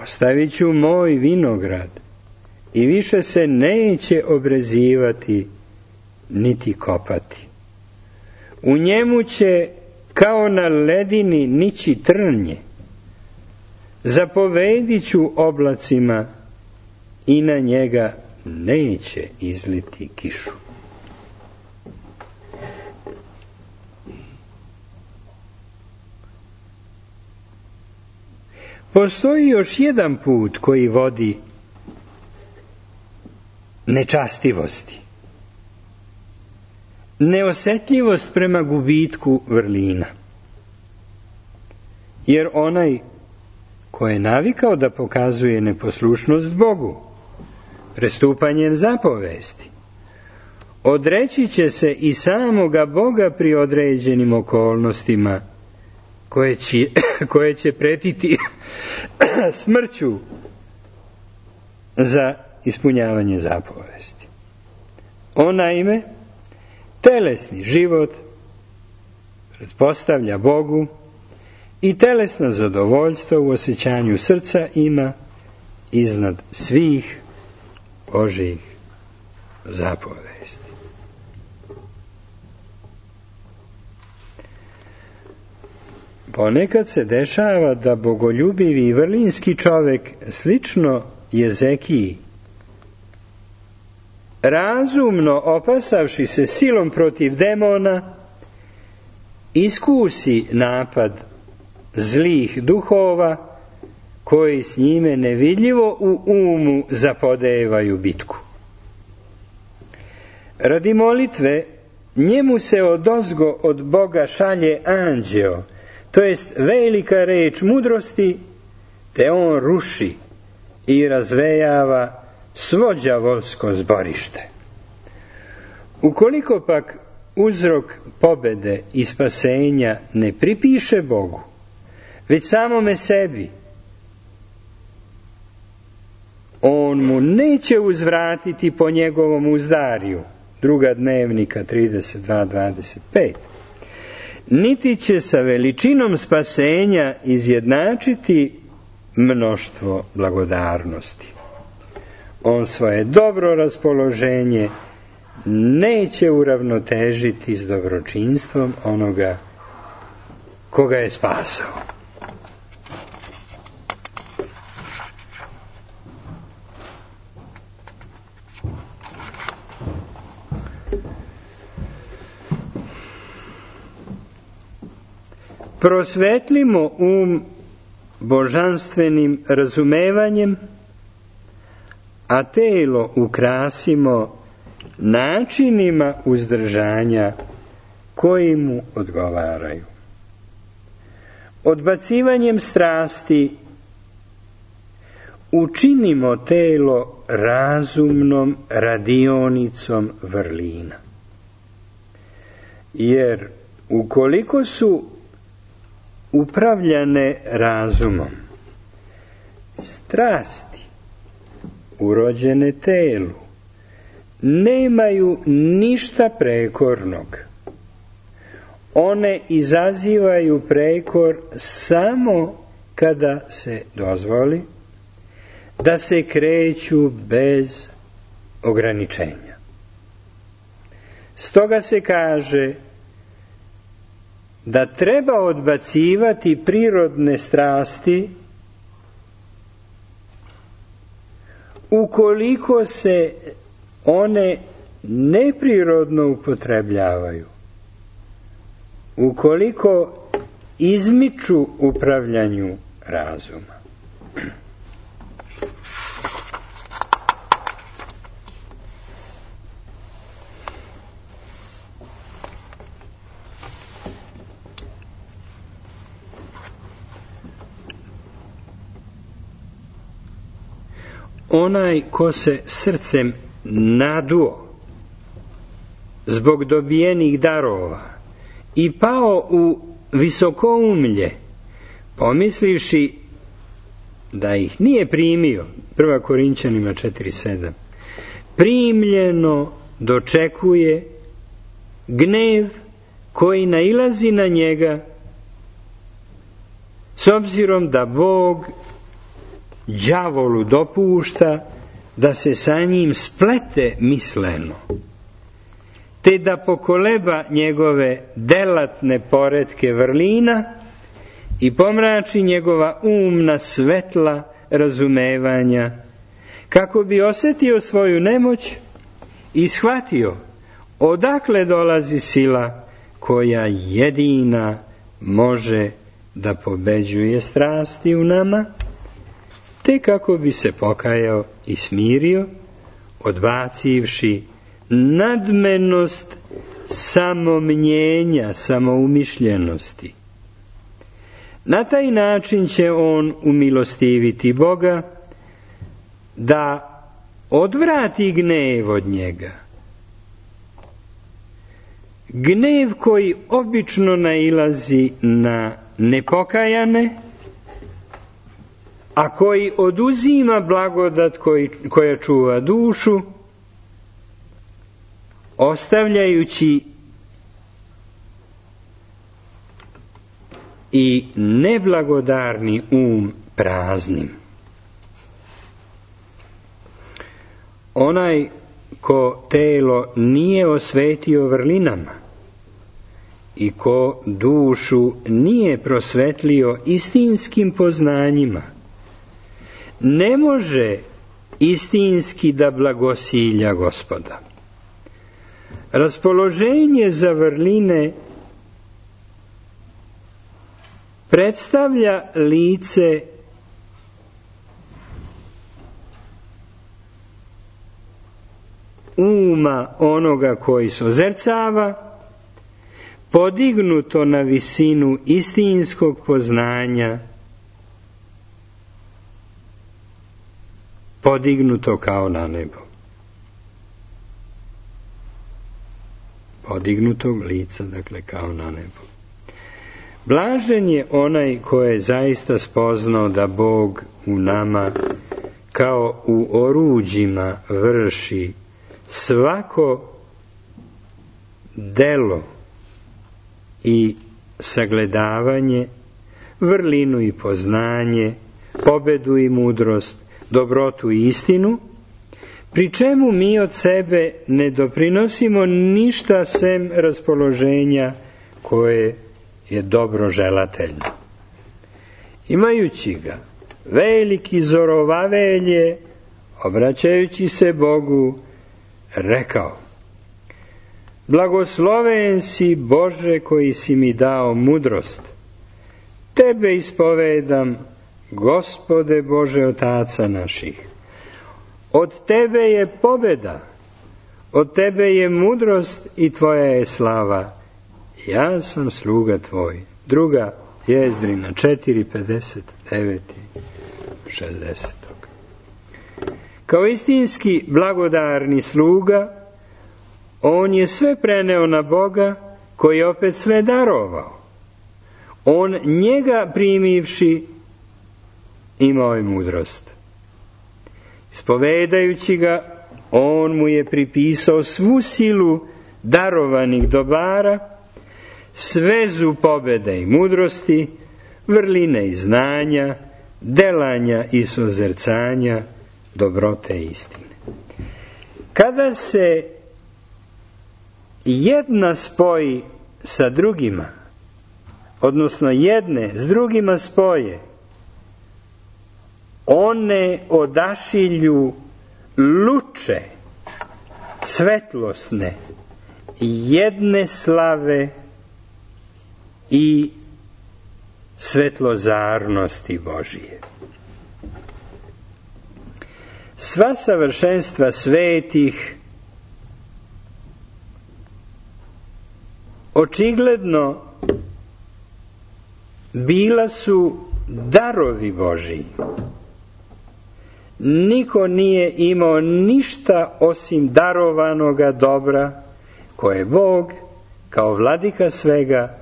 A: Ostavit ću moj vinograd i više se neće obrezivati niti kopati. U njemu će kao na ledini nići trnje. Zapovedit ću oblacima i na njega neće izliti kišu. Postoji još jedan put koji vodi nečastivosti. Neosjetljivost prema gubitku vrlina. Jer onaj ko je navikao da pokazuje neposlušnost Bogu, prestupanjem zapovesti, odreći će se i samoga Boga pri određenim okolnostima koje će pretiti smrću za ispunjavanje zapovesti. On naime telesni život pretpostavlja Bogu i telesna zadovoljstva u osjećanju srca ima iznad svih Božjih zapovesti. Ponekad se dešava da bogoljubivi i vrlinski čovek, slično Jezekiji, razumno opasavši se silom protiv demona, iskusi napad zlih duhova koji s njime nevidljivo u umu zapodevaju bitku. Radi molitve njemu se odozgo od Boga šalje anđeo, to jest velika reč mudrosti, te on ruši i razvejava svo đavolsko zborište. Ukoliko pak uzrok pobede i spasenja ne pripiše Bogu, već samome sebi, on mu neće uzvratiti po njegovom uzdariju, 2. Dnevnika 32:25, niti će sa veličinom spasenja izjednačiti mnoštvo blagodarnosti. On svoje dobro raspoloženje neće uravnotežiti s dobročinstvom onoga koga je spasao. Prosvetlimo božanstvenim razumevanjem, a telo ukrasimo načinima uzdržanja koji mu odgovaraju. Odbacivanjem strasti učinimo telo razumnom radionicom vrlina. Jer ukoliko su upravljane razumom, strasti urođene telu nemaju ništa prekornog. One izazivaju prekor samo kada se dozvoli da se kreću bez ograničenja. Stoga se kaže da treba odbacivati prirodne strasti ukoliko se one neprirodno upotrebljavaju, ukoliko izmiču upravljanju razuma. Onaj ko se srcem naduo zbog dobijenih darova i pao u visokoumlje, pomislivši da ih nije primio, 1. Korinćanima 4:7, primljeno dočekuje gnev koji nailazi na njega, s obzirom da Bog đavolu dopušta da se sa njim splete misleno, te da pokoleba njegove delatne poretke vrlina i pomrači njegova umna svetla razumevanja, kako bi osjetio svoju nemoć i shvatio odakle dolazi sila koja jedina može da pobeđuje strasti u nama, te kako bi se pokajao i smirio, odbacivši nadmenost samomnjenja, samoumišljenosti. Na taj način će on umilostiviti Boga da odvrati gnev od njega. Gnev koji obično nailazi na nepokajane, a koji oduzima blagodat koja čuva dušu, ostavljajući i neblagodarni praznim. Onaj ko telo nije osvetio vrlinama i ko dušu nije prosvetlio istinskim poznanjima, ne može istinski da blagosilja Gospoda. Raspoloženje za vrline predstavlja lice uma onoga koji sozercava, podignuto na visinu istinskog poznanja, podignuto kao na nebo. Podignutog lica, dakle, kao na nebo. Blažen je onaj ko je zaista spoznao da Bog u nama kao u oruđima vrši svako delo i sagledavanje, vrlinu i poznanje, pobedu i mudrost, dobrotu i istinu, pri čemu mi od sebe ne doprinosimo ništa sem raspoloženja koje je dobro želateljno. Imajući ga, veliki Zorovavel je, obraćajući se Bogu, rekao: blagosloven si, Bože, koji si mi dao mudrost. Tebe ispovedam, Gospode Bože otaca naših. Od tebe je pobeda, od tebe je mudrost i tvoja je slava. Ja sam sluga tvoj. Druga Jezdrina 4:59 i 60. Kao istinski blagodarni sluga, on je sve preneo na Boga, koji je opet sve darovao. On njega primivši imao je mudrost. Ispovedajući ga, on mu je pripisao svu silu darovanih dobara, svezu pobede i mudrosti, vrline i znanja, delanja i sozercanja, dobrote i istine. Kada se jedna spoji sa drugima, odnosno jedne s drugima spoje, one odašilju luče svetlosne, jedne slave i svetlozarnosti Božije. Sva savršenstva svetih očigledno bila su darovi Božiji. Niko nije imao ništa osim darovanoga dobra koje Bog, kao vladika svega,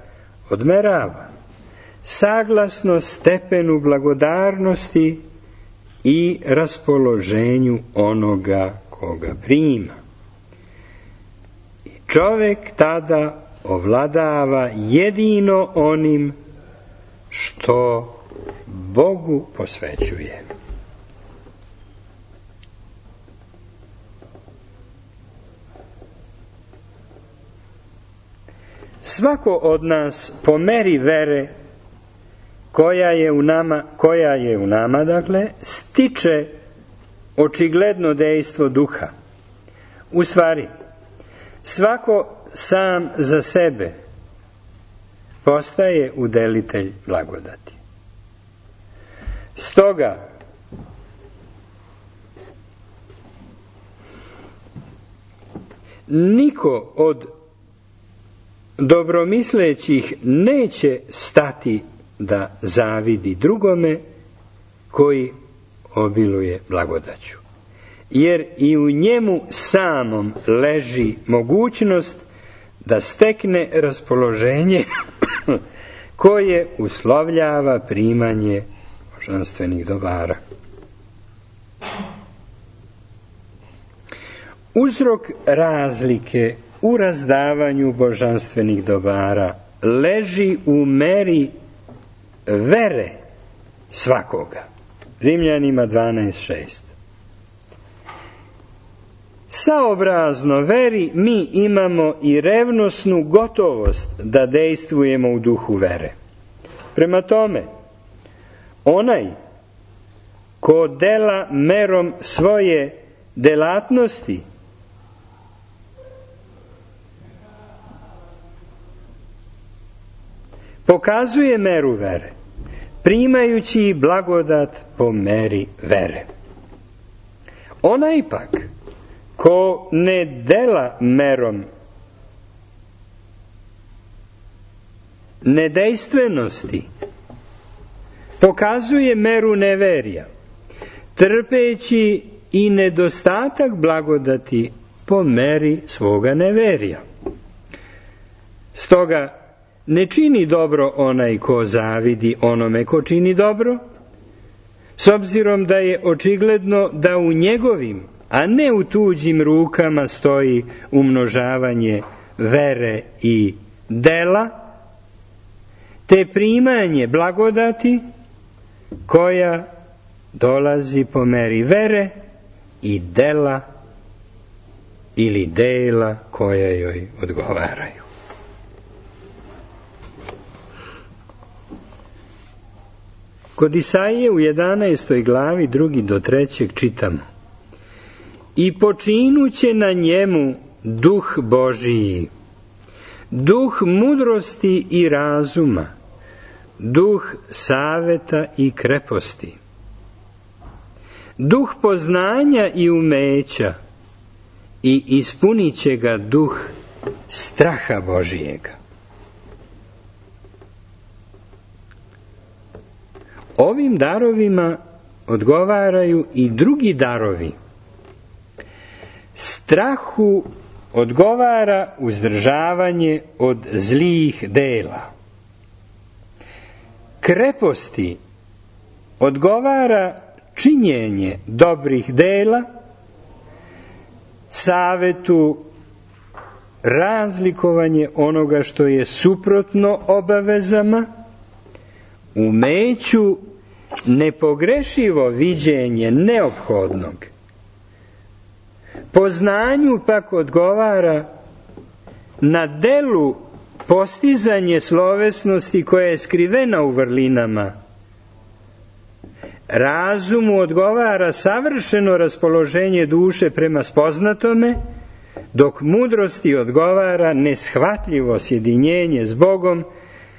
A: odmerava, saglasno stepenu blagodarnosti i raspoloženju onoga koga prima. I čovek tada ovladava jedino onim što Bogu posvećuje. Svako od nas po meri vere koja je u nama, dakle, stiče očigledno dejstvo duha. U stvari, svako sam za sebe postaje udelitelj blagodati. Stoga, niko od dobromislećih neće stati da zavidi drugome koji obiluje blagodaću. Jer i u njemu samom leži mogućnost da stekne raspoloženje koje uslovljava primanje božanstvenih dobara. Uzrok razlike u razdavanju božanstvenih dobara leži u meri vere svakoga. Rimljanima 12:6. Saobrazno veri mi imamo i revnosnu gotovost da dejstvujemo u duhu vere. Prema tome, onaj ko dela merom svoje delatnosti pokazuje meru vere, primajući blagodat po meri vere. Onaj pak ko ne dela merom nedejstvenosti, pokazuje meru neverija, trpeći i nedostatak blagodati po meri svoga neverija. Stoga ne čini dobro onaj ko zavidi onome ko čini dobro, s obzirom da je očigledno da u njegovim, a ne u tuđim rukama stoji umnožavanje vere i dela, te primanje blagodati koja dolazi po meri vere i dela ili dela koja joj odgovaraju. Kod Isaije u 11. glavi 2. do 3. čitamo: I počinuće na njemu duh Božiji, duh mudrosti i razuma, duh saveta i kreposti, duh poznanja i umeća, i ispunit će ga duh straha Božijega. Ovim darovima odgovaraju i drugi darovi. Strahu odgovara uzdržavanje od zlih dela. Kreposti odgovara činjenje dobrih dela, savetu razlikovanje onoga što je suprotno obavezama, umeću nepogrešivo viđenje neophodnog. Poznanju pak odgovara na delu postizanje slovesnosti koja je skrivena u vrlinama. Razumu odgovara savršeno raspoloženje duše prema spoznatome, dok mudrosti odgovara neshvatljivo sjedinjenje s Bogom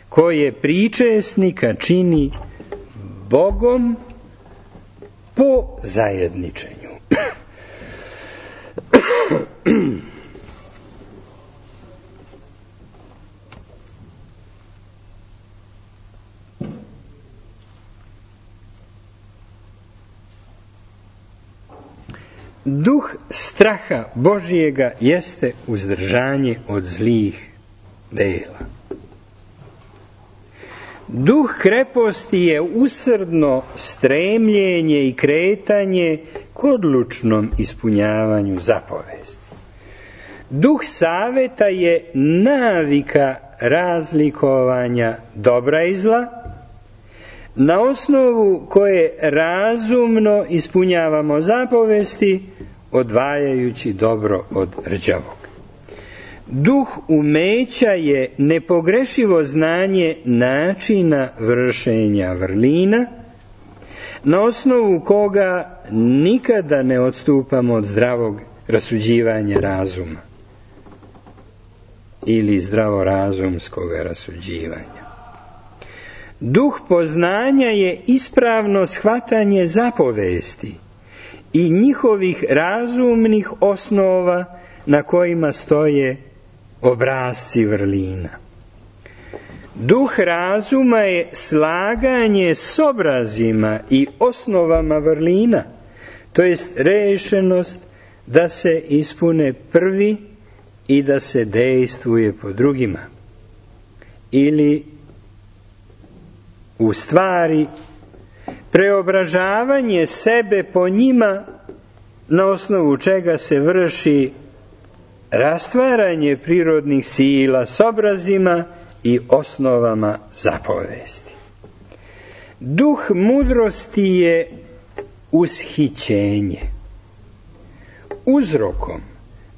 A: koje pričesnika čini Bogom po zajedničenju. Duh straha Božijega jeste uzdržanje od zlih dela. Duh kreposti je usrdno stremljenje i kretanje k odlučnom ispunjavanju zapovesti. Duh saveta je navika razlikovanja dobra i zla, na osnovu koje razumno ispunjavamo zapovesti, odvajajući dobro od rđavog. Duh umeća je nepogrešivo znanje načina vršenja vrlina, na osnovu koga nikada ne odstupamo od zdravog rasuđivanja razuma ili zdravorazumskog rasuđivanja. Duh poznanja je ispravno shvatanje zapovesti i njihovih razumnih osnova na kojima stoje obrasci vrlina. Duh razuma je slaganje s obrazima i osnovama vrlina, to jest rešenost da se ispune prvi i da se dejstvuje po drugima. Ili u stvari preobražavanje sebe po njima, na osnovu čega se vrši rastvaranje prirodnih sila s obrazima i osnovama zapovesti. Duh mudrosti je ushićenje. Uzrokom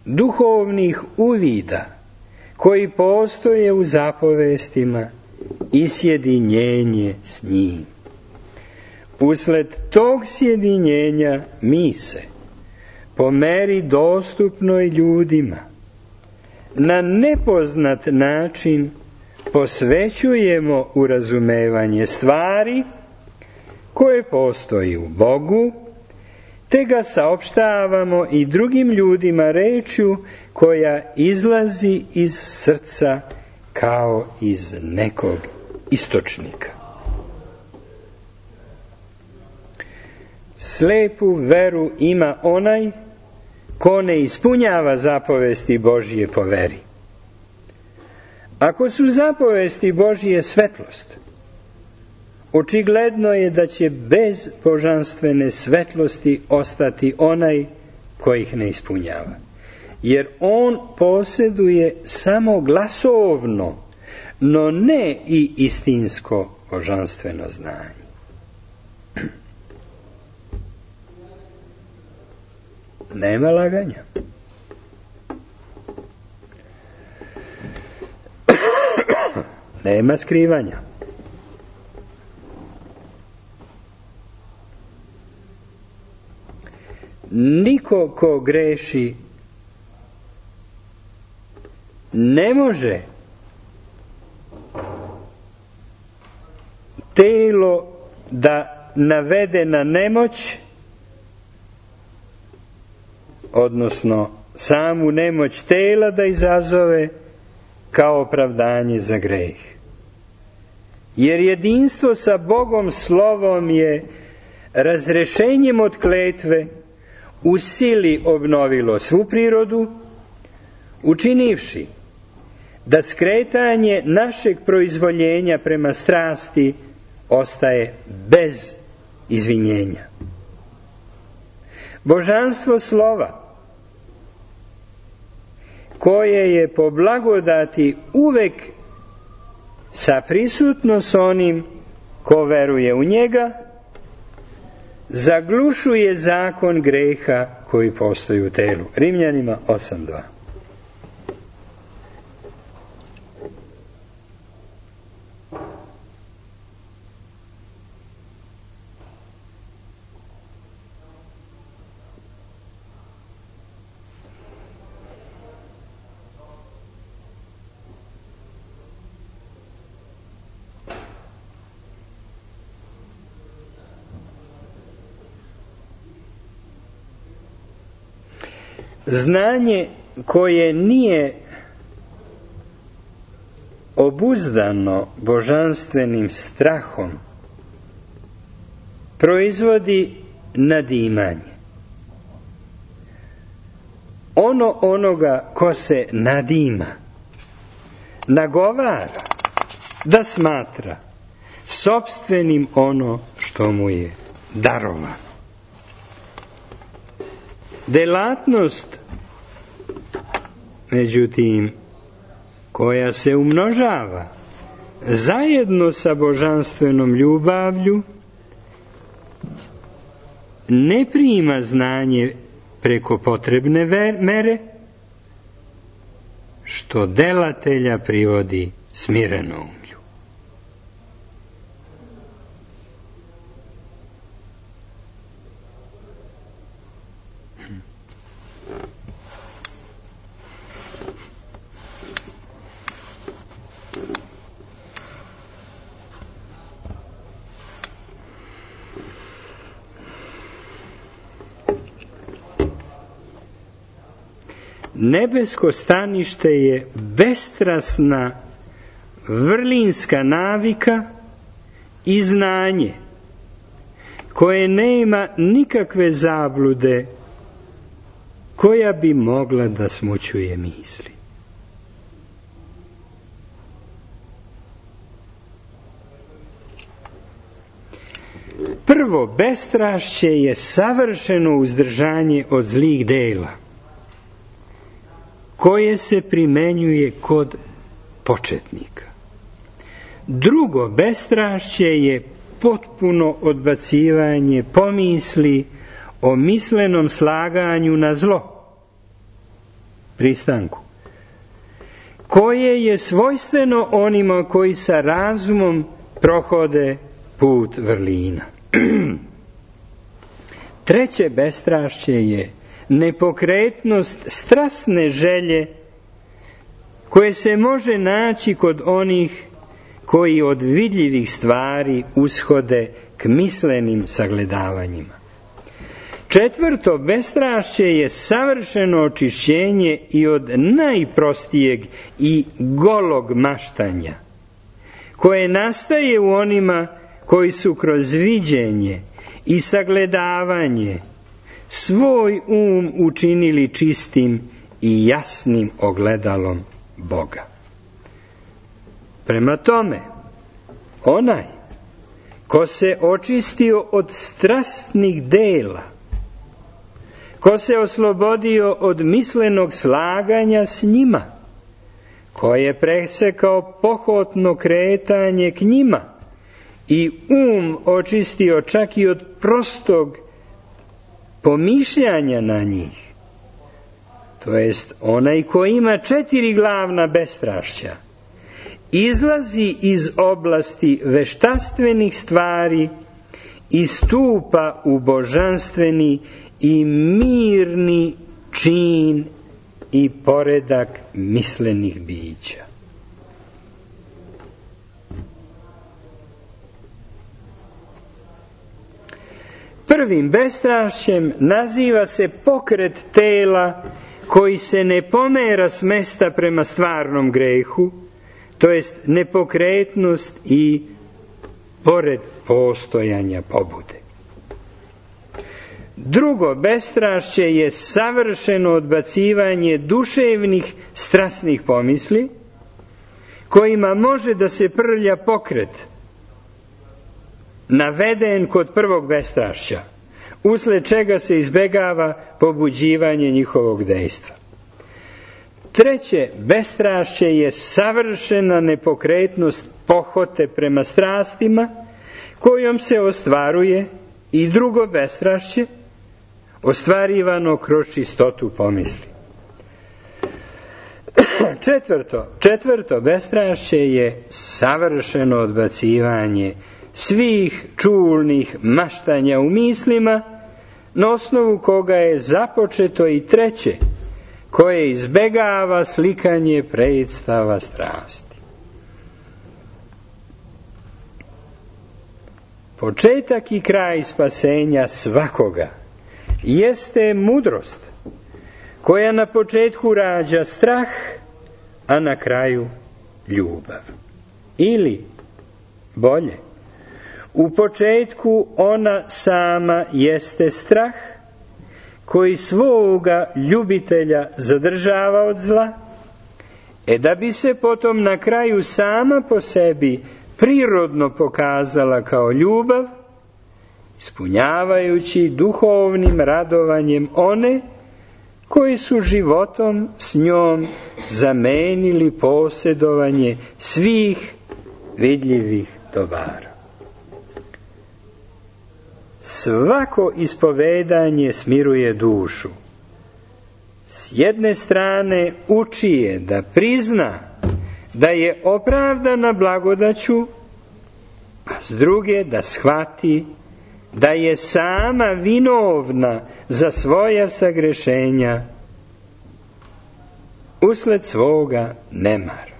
A: duhovnih uvida koji postoje u zapovestima i sjedinjenje s njim. Usled tog sjedinjenja mi se, po meri dostupnoj ljudima, na nepoznat način posvećujemo u razumevanje stvari koje postoji u Bogu, te ga saopštavamo i drugim ljudima rečju koja izlazi iz srca kao iz nekog istočnika. Slepu veru ima onaj ko ne ispunjava zapovesti Božje po veri. Ako su zapovesti Božje svetlost, očigledno je da će bez božanstvene svetlosti ostati onaj koji ih ne ispunjava. Jer on posjeduje samo glasovno, no ne i istinsko božanstveno znanje. Nema laganja. Nema skrivanja. Niko ko greši ne može telo da navede na nemoć, odnosno samu nemoć tela da izazove kao opravdanje za greh. Jer jedinstvo sa Bogom slovom je razrešenjem od kletve u sili obnovilo svu prirodu, učinivši da skretanje našeg proizvoljenja prema strasti ostaje bez izvinjenja. Božanstvo slova, koje je po blagodati uvek saprisutno s onim ko veruje u njega, zaglušuje zakon greha koji postoji u telu. Rimljanima 8:2. Znanje koje nije obuzdano božanstvenim strahom proizvodi nadimanje. Onoga ko se nadima, nagovara da smatra sopstvenim ono što mu je darovano. Delatnost, međutim, koja se umnožava zajedno sa božanstvenom ljubavlju, ne prima znanje preko potrebne mere, što delatelja privodi smirenom. Nebesko stanište je bestrasna vrlinska navika i znanje koje nema nikakve zablude koja bi mogla da smućuje misli. Prvo, bestrašće je savršeno uzdržanje od zlih dela, koje se primenjuje kod početnika. Drugo, bestrašće je potpuno odbacivanje pomisli o mislenom slaganju na zlo, pristanku, koje je svojstveno onima koji sa razumom prohode put vrlina. Treće bestrašće je nepokretnost strasne želje koje se može naći kod onih koji od vidljivih stvari ushode k mislenim sagledavanjima. Četvrto, bestrašće je savršeno očišćenje i od najprostijeg i golog maštanja, koje nastaje u onima koji su kroz viđenje i sagledavanje svoj učinili čistim i jasnim ogledalom Boga. Prema tome, onaj ko se očistio od strasnih dela, ko se oslobodio od mislenog slaganja s njima, ko je presekao pohotno kretanje k njima i očistio čak i od prostog pomišljanja na njih, to jest onaj ko ima 4 glavna bestrašća, izlazi iz oblasti veštaštvenih stvari i stupa u božanstveni i mirni čin i poredak mislenih bića. Prvim bestrašćem naziva se pokret tela koji se ne pomera s mesta prema stvarnom grehu, to jest nepokretnost i pored postojanja pobude. Drugo bestrašće je savršeno odbacivanje duševnih strasnih pomisli, kojima može da se prlja pokret, naveden kod prvog bestrašća, usled čega se izbegava pobuđivanje njihovog dejstva. Treće bestrašće je savršena nepokretnost pohote prema strastima, kojom se ostvaruje i drugo bestrašće, ostvarivano kroz čistotu pomisli. Četvrto bestrašće je savršeno odbacivanje svih čulnih maštanja u mislima, na osnovu koga je započeto i treće, koje izbegava slikanje predstava strasti. Početak i kraj spasenja svakoga jeste mudrost, koja na početku rađa strah, a na kraju ljubav. Ili, bolje, u početku ona sama jeste strah, koji svoga ljubitelja zadržava od zla, da bi se potom na kraju sama po sebi prirodno pokazala kao ljubav, ispunjavajući duhovnim radovanjem one koji su životom s njom zamenili posjedovanje svih vidljivih dobara. Svako ispovedanje smiruje dušu. S jedne strane uči je da prizna da je opravdana blagodaću, a s druge da shvati da je sama vinovna za svoja sagrešenja usled svoga nemara.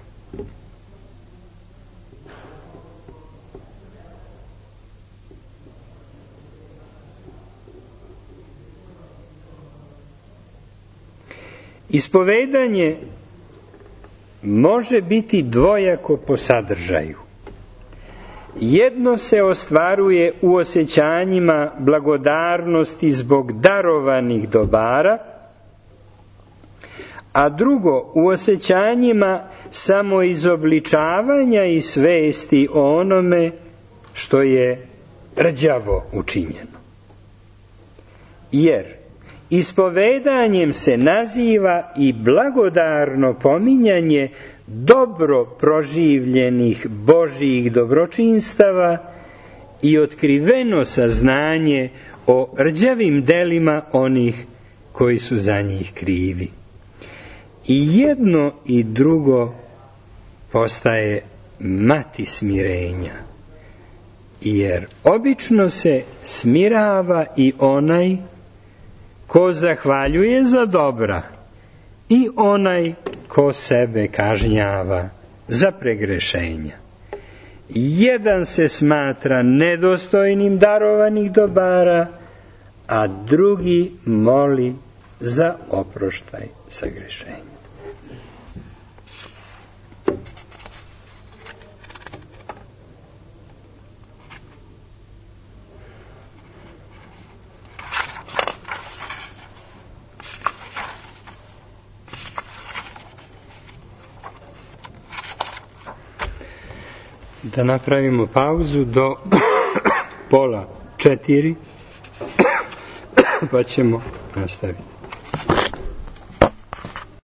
A: Ispovedanje može biti dvojako po sadržaju. Jedno se ostvaruje u osjećanjima blagodarnosti zbog darovanih dobara, a drugo u osjećanjima samoizobličavanja i svesti o onome što je rđavo učinjeno. Jer ispovedanjem se naziva i blagodarno pominjanje dobro proživljenih Božjih dobročinstava i otkriveno saznanje o rđavim delima onih koji su za njih krivi. I jedno i drugo postaje mati smirenja, jer obično se smirava i onaj ko zahvaljuje za dobra i onaj ko sebe kažnjava za pregrešenja. Jedan se smatra nedostojnim darovanih dobara, a drugi moli za oproštaj sagrešenja. Da napravimo pauzu do 3:30, pa ćemo nastaviti.